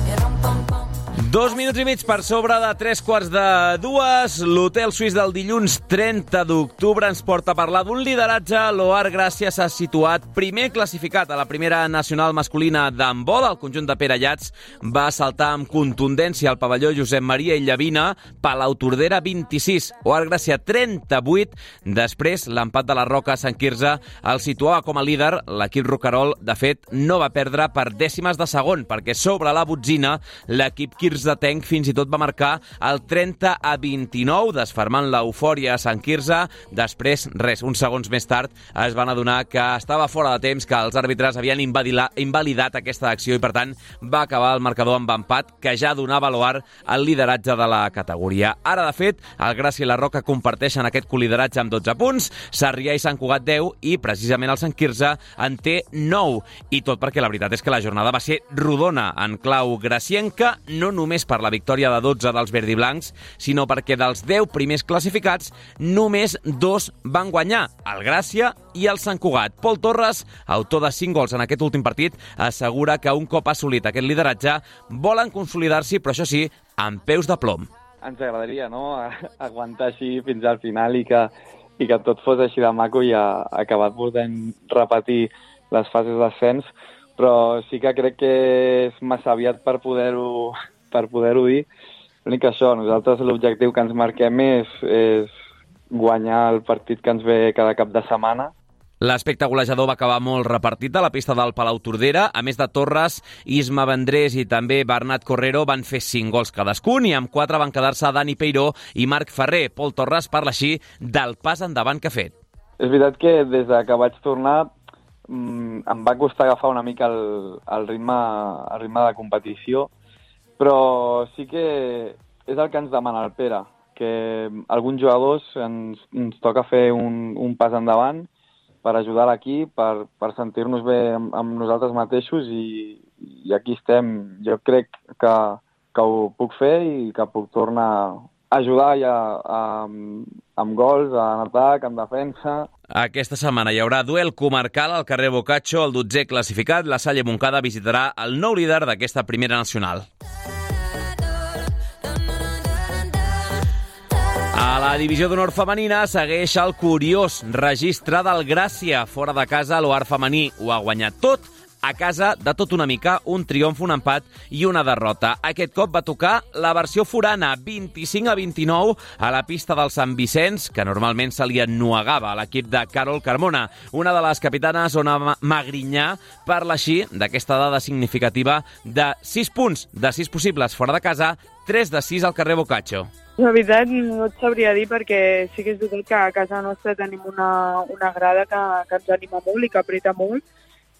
2 minuts i mig per sobre de 3:45. L'Hotel Suís del dilluns 30 d'octubre ens porta a parlar d'un lideratge. L'Oar Gràcia s'ha situat primer classificat a la primera nacional masculina d'handbol. El conjunt de Perellats va saltar amb contundència al pavelló Josep Maria Illavina. Palautordera 26, Oar Gràcia 38. Després, l'empat de la Roca a Sant Quirze el situava com a líder. L'equip roquerol, de fet, no va perdre per dècimes de segon, perquè sobre la botzina l'equip quirzetenc fins i tot va marcar el 30-29, desfermant l'eufòria a Sant Quirze. Després, res, uns segons més tard, es van adonar que estava fora de temps, que els àrbitres havien invalidat aquesta acció i, per tant, va acabar el marcador amb empat, que ja donava a l'Oar el lideratge de la categoria. Ara, de fet, el Gràcia i la Roca comparteixen aquest colideratge amb 12 punts, Sarrià i Sant Cugat 10 i, precisament, el Sant Quirze en té 9. I tot perquè la veritat és que la jornada va ser rodona en clau gracienca, no només per la victòria de 12 dels verdiblancs, sinó perquè dels 10 primers classificats, només 2 van guanyar, el Gràcia i el Sant Cugat. Pol Torres, autor de 5 gols en aquest últim partit, assegura que un cop assolit aquest lideratge volen consolidar-s'hi, però això sí, amb peus de plom. Ens agradaria, no?, aguantar així fins al final i que tot fos així de maco i acabar podent repetir les fases d'ascens, però sí que crec que és massa aviat per poder-ho dir. L'únic que això, nosaltres l'objectiu que ens marquem és guanyar el partit que ens ve cada cap de setmana. L'aspecte golejador va acabar molt repartit a la pista del Palautordera. A més de Torres, Isma Vendrés i també Bernat Correro van fer 5 gols cadascun i amb 4 van quedar-se Dani Peiró i Marc Ferrer. Pol Torres parla així del pas endavant que ha fet. És veritat que des que vaig tornar em va costar agafar una mica el ritme de competició, però sí que és el que ens demana el Pere, que alguns jugadors ens toca fer un pas endavant per ajudar l'equip, per sentir-nos bé amb nosaltres mateixos i aquí estem. Jo crec que ho puc fer i que puc tornar a ajudar ja amb gols, en atac, en defensa. Aquesta setmana hi haurà duel comarcal al carrer Boccaccio, el 12è classificat. La Salle Montcada visitarà el nou líder d'aquesta primera nacional. A la divisió d'honor femenina segueix el curiós registre del Gràcia. Fora de casa, l'Oar femení ho ha guanyat tot. A casa, de tot una mica, un triomf, un empat i una derrota. Aquest cop va tocar la versió forana, 25-29, a la pista del Sant Vicenç, que normalment se li ennuegava a l'equip de Carol Carmona. Una de les capitanes, Ona Magrinyà, parla així d'aquesta dada significativa de 6 punts de 6 possibles fora de casa, 3 de 6 al carrer Boccaccio. La veritat no et sabria dir, perquè sí que és veritat que a casa nostra tenim una grada que ens anima molt i que apreta molt,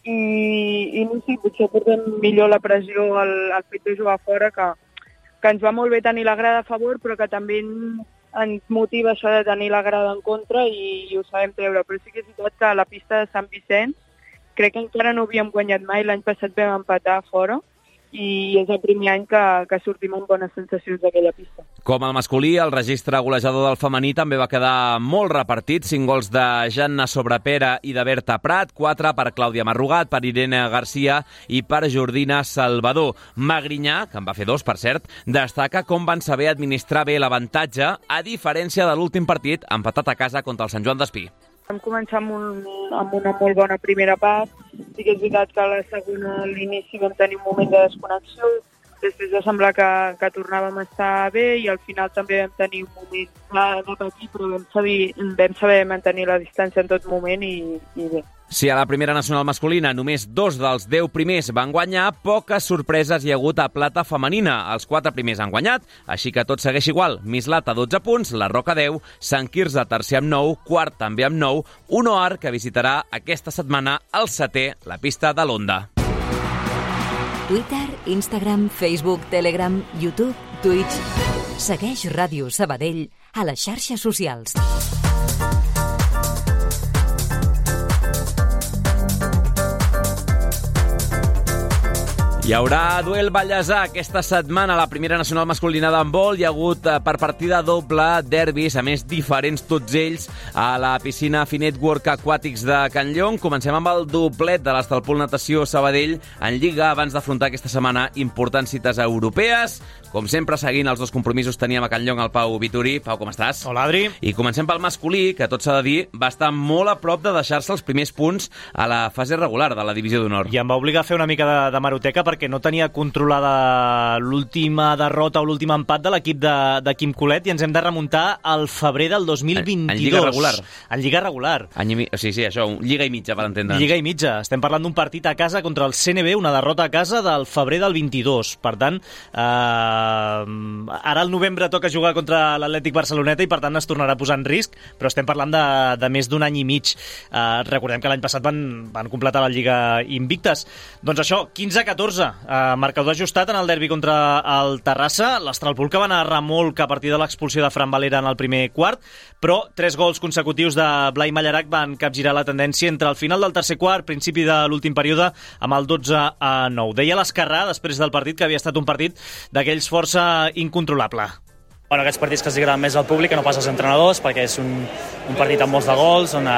i no sé, potser portem millor la pressió al fet de jugar fora, que ens va molt bé tenir la grada a favor, però que també ens motiva això de tenir la grada en contra i ho sabem treure. Però sí que és veritat que a la pista de Sant Vicenç crec que encara no havíem guanyat mai, l'any passat vam empatar fora i és el primer any que sortim amb bones sensacions d'aquella pista. Com el masculí, el registre golejador del femení també va quedar molt repartit. 5 gols de Janna Sobrepera i de Berta Prat, 4 per Clàudia Marrugat, per Irene Garcia i per Jordina Salvador. Magrinyà, que en va fer 2, per cert, destaca com van saber administrar bé l'avantatge, a diferència de l'últim partit, empatat a casa contra el Sant Joan d'Espí. Vam començar amb una molt bona primera part. Sí que és veritat que a la segona, a l'inici, vam tenir un moment de desconnexió. Després va semblar que tornàvem a estar bé i al final també vam tenir un moment de patir, però vam saber mantenir la distància en tot moment i bé. Si a la primera nacional masculina només 2 dels 10 primers van guanyar, poques sorpreses hi ha hagut a plata femenina. Els 4 primers han guanyat, així que tot segueix igual. Mislata 12 punts, la Roca 10, Sant Quirze tercer amb 9, quart també amb 9, un OAR que visitarà aquesta setmana el 7è, la pista de l'Onda. Twitter, Instagram, Facebook, Telegram, YouTube, Twitch. Segueix Ràdio Sabadell a les xarxes socials. Hi haurà duel ballesà aquesta setmana a la primera nacional masculina d'handbol. Hi ha hagut per partida doble derbis, a més diferents tots ells, a la piscina Finetwork Aquàtics de Can Llong. Comencem amb el doblet de l'Estalpol Natació Sabadell en Lliga abans d'afrontar aquesta setmana importants cites europees. Com sempre, seguint els 2 compromisos, teníem a Can Llong el Pau Vituri. Pau, com estàs? Hola, Adri. I comencem pel masculí, que tot s'ha de dir, va estar molt a prop de deixar-se els primers punts a la fase regular de la Divisió d'Honor. I em va obligar a fer una mica de hemeroteca perquè no tenia controlada l'última derrota o l'últim empat de l'equip de Quim Colet i ens hem de remuntar al febrer del 2022. En Lliga regular. En Lliga regular. Sí, això, Lliga i mitja, per entendre'ns. Lliga i mitja. Estem parlant d'un partit a casa contra el CNB, una derrota a casa del febrer del 22. Per tant, ara al novembre toca jugar contra l'Atlètic Barceloneta i per tant es tornarà a posar en risc, però estem parlant de més d'un any i mig. Recordem que l'any passat van completar la Lliga invictes. Doncs això, 15-14, marcador ajustat en el derbi contra el Terrassa, l'Estralpol que va anar a remolc a partir de l'expulsió de Fran Valera en el primer quart, però 3 gols consecutius de Blai Mallarac van capgirar la tendència entre el final del tercer quart, principi de l'últim període, amb el 12-9. Deia l'Escarrà, després del partit, que havia estat un partit d'aquells força incontrolable. Bueno, aquests partits que els agraden més al públic que no pas als entrenadors, perquè és un partit amb molts de gols, on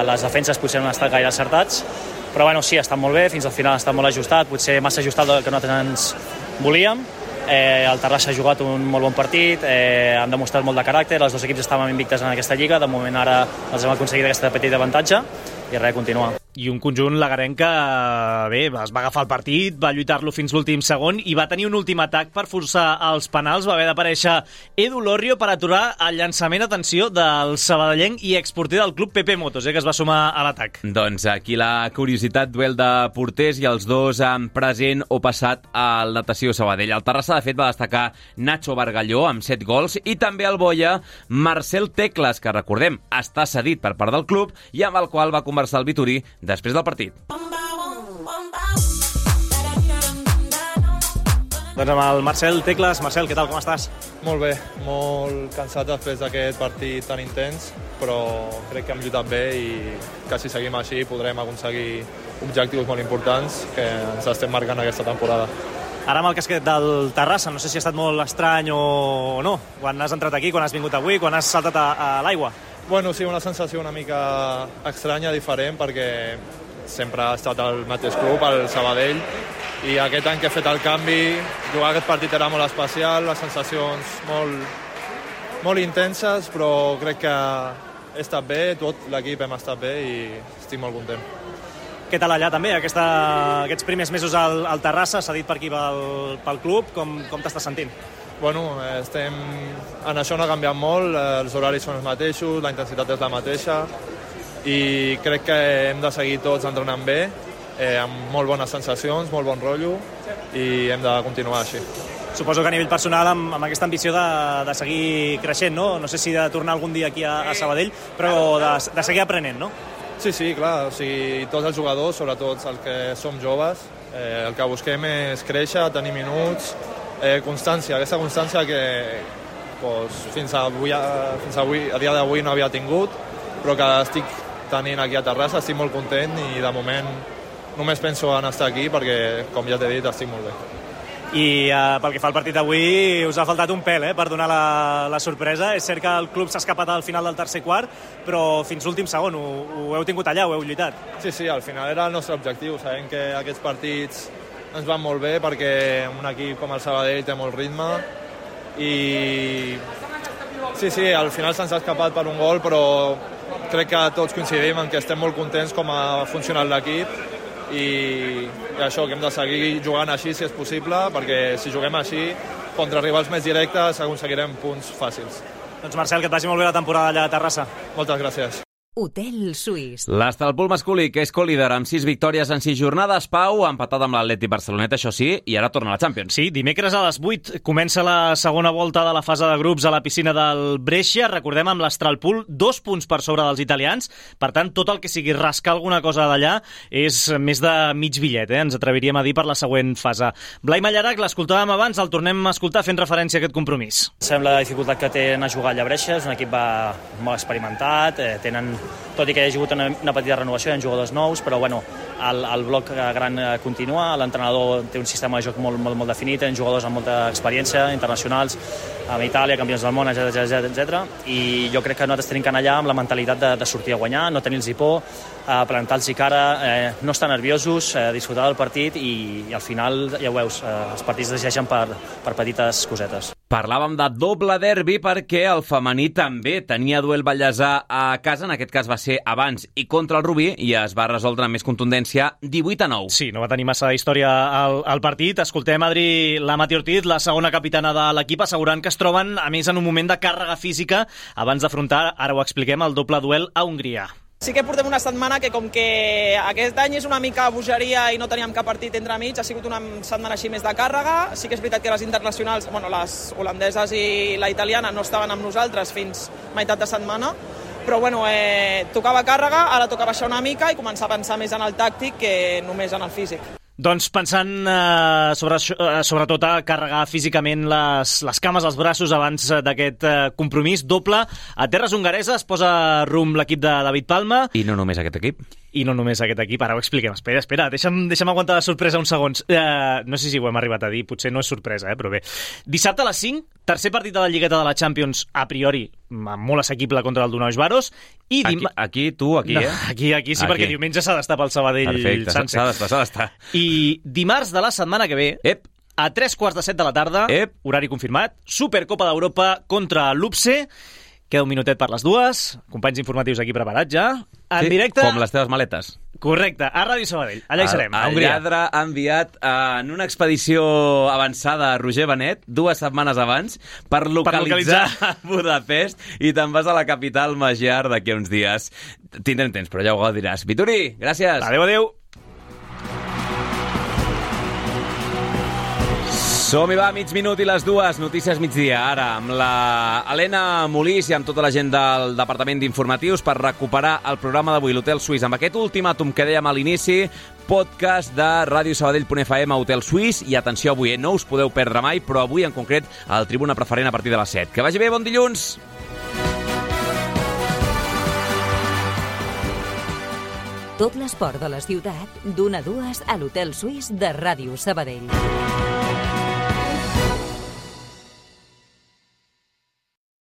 les defenses potser no han estat gaire acertats, però bueno, sí, ha estat molt bé, fins al final ha estat molt ajustat, potser massa ajustat del que nosaltres ens volíem. El Terrassa ha jugat un molt bon partit, han demostrat molt de caràcter, els 2 equips estaven invictes en aquesta lliga, de moment ara els hem aconseguit aquesta petita avantatge i res, continuar. I un conjunt lagarenc que, bé, es va agafar el partit, va lluitar-lo fins l'últim segon i va tenir un últim atac per forçar els penals. Va haver d'aparèixer Edu Lorrio per aturar el llançament, atenció, del sabadellenc i exporter del club Pepe Motos, que es va sumar a l'atac. Doncs aquí la curiositat, duel de porters i els 2 en present o passat al Natació Sabadell. El Terrassa, de fet, va destacar Nacho Bargalló amb 7 gols i també el Boia Marcel Tecles, que recordem, està cedit per part del club i amb el qual va conversar el Vituri després del partit. Doncs amb el Marcel Tecles. Marcel, què tal, com estàs? Molt bé, molt cansat després d'aquest partit tan intens, però crec que hem lluitat bé i que si seguim així podrem aconseguir objectius molt importants que ens estem marcant aquesta temporada. Ara amb el casquet del Terrassa, no sé si ha estat molt estrany o no, quan has entrat aquí, quan has vingut avui, quan has saltat a l'aigua. Bueno, sí, una sensació una mica estranya, diferent, perquè sempre ha estat al mateix club, al Sabadell, i aquest any que he fet el canvi, jugar aquest partit era molt especial, les sensacions molt intenses, però crec que he estat bé, tot l'equip hem estat bé i estic molt content. Què tal allà també, aquests primers mesos al Terrassa, s'ha dit per aquí pel club, com t'estàs sentint? Bueno, en això no ha canviat molt, els horaris són els mateixos, la intensitat és la mateixa i crec que hem de seguir tots entrenant bé, amb molt bones sensacions, molt bon rotllo i hem de continuar així. Suposo que a nivell personal amb aquesta ambició de seguir creixent, no? No sé si de tornar algun dia aquí a Sabadell, però de seguir aprenent, no? Sí, clar, o sigui, tots els jugadors, sobretot els que som joves, el que busquem és créixer, tenir minuts, constància, aquesta constància que fins avui, a dia d'avui no havia tingut, però que estic tenint aquí a Terrassa, estic molt content i de moment només penso en estar aquí perquè, com ja t'he dit, estic molt bé. I pel que fa al partit d'avui us ha faltat un pèl per donar la sorpresa. És cert que el club s'ha escapat al final del tercer quart, però fins l'últim segon ho heu tingut allà, ho heu lluitat. Sí, al final era el nostre objectiu. Sabem que aquests partits ens van molt bé perquè un equip com el Sabadell té molt ritme i sí, al final se'ns ha escapat per un gol, però crec que tots coincidim en que estem molt contents com ha funcionat l'equip i això, que hem de seguir jugant així si és possible, perquè si juguem així contra rivals més directes aconseguirem punts fàcils. Doncs Marcel, que et vagi molt bé la temporada allà a Terrassa. Moltes gràcies. Hotel Suís. L'Estalpul masculí, que és co-líder amb 6 victòries en 6 jornades, Pau, ha empatat amb l'Atlètic Barceloneta, això sí, i ara torna a la Champions. Sí, dimecres a les 8 comença la segona volta de la fase de grups a la piscina del Brescia. Recordem, amb l'Estalpul 2 punts per sobre dels italians. Per tant, tot el que sigui rascar alguna cosa d'allà és més de mig bitllet, ens atreviríem a dir, per la següent fase. Blai Mallarac, l'escoltàvem abans, el tornem a escoltar fent referència a aquest compromís. Sembla la dificultat que tenen a jugar allà a Brescia, és un equip molt experimentat, tenen, tot i que hi ha hagut una petita renovació, hi ha jugadors nous, però bueno, el bloc gran continua, l'entrenador té un sistema de joc molt definit, tenen jugadors amb molta experiència, internacionals, amb Itàlia, campions del món, etc. I jo crec que nosaltres tenim que anar allà amb la mentalitat de sortir a guanyar, no tenir-los por, plantar-los cara, no estar nerviosos, disfrutar del partit i al final, ja ho veus, els partits decideixen per petites cosetes. Parlàvem de doble derbi perquè el femení també tenia duel ballesà a casa, en aquest cas va ser abans i contra el Rubí, i es va resoldre amb més contundència 18-9. Sí, no va tenir massa història al partit. Escoltem Adri Lamati Ortiz, la segona capitana de l'equip, assegurant que es troben, a més, en un moment de càrrega física abans d'afrontar, ara ho expliquem, el doble duel a Hongria. Sí que portem una setmana que, com que aquest any és una mica bogeria i no teníem cap partit entremig, ha sigut una setmana així més de càrrega. Sí que és veritat que les internacionals, les holandeses i la italiana no estaven amb nosaltres fins meitat de setmana, però tocava càrrega, ara toca baixar una mica i començar a pensar més en el tàctic que només en el físic. Doncs pensant sobretot a carregar físicament les cames, els braços abans d'aquest compromís doble, a terres hongareses posa rumb l'equip de David Palma. I no només aquest equip. I no només aquest equip, ara ho expliquem. Espera, deixa'm aguantar la sorpresa uns segons. No sé si ho hem arribat a dir, potser no és sorpresa, però bé. Dissabte a les 5, tercer partit de la Lligueta de la Champions, a priori, molt assequible contra el Dunaus Baros. I aquí, Aquí sí, perquè diumenge s'ha d'estar pel Sabadell. Perfecte, s'ha d'estar. I dimarts de la setmana que ve, a 3:45 de la tarda, horari confirmat, Supercopa d'Europa contra l'UPSE. Queda un minutet per les dues, companys informatius aquí preparats ja, en directe... Com les teves maletes. Correcte, a Ràdio Sabadell, allà hi serem, a Hongria. El lladre ha enviat en una expedició avançada a Roger Benet, 2 setmanes abans, per localitzar Budapest, i te'n vas a la capital magiar d'aquí a uns dies. Tindrem temps, però ja ho diràs. Vituri, gràcies. Adéu. Som-hi, va, mig minut i les 2, notícies migdia, ara, amb la Helena Molís i amb tota la gent del Departament d'Informatius per recuperar el programa d'avui, l'Hotel Suís. Amb aquest ultimàtum que dèiem a l'inici, podcast de radiosabadell.fm a Hotel Suís, i atenció avui, no us podeu perdre mai, però avui en concret el Tribuna Preferent a partir de les 7. Que vagi bé, bon dilluns! Tot l'esport de la ciutat, d'1 a 2 a l'Hotel Suís de Ràdio Sabadell.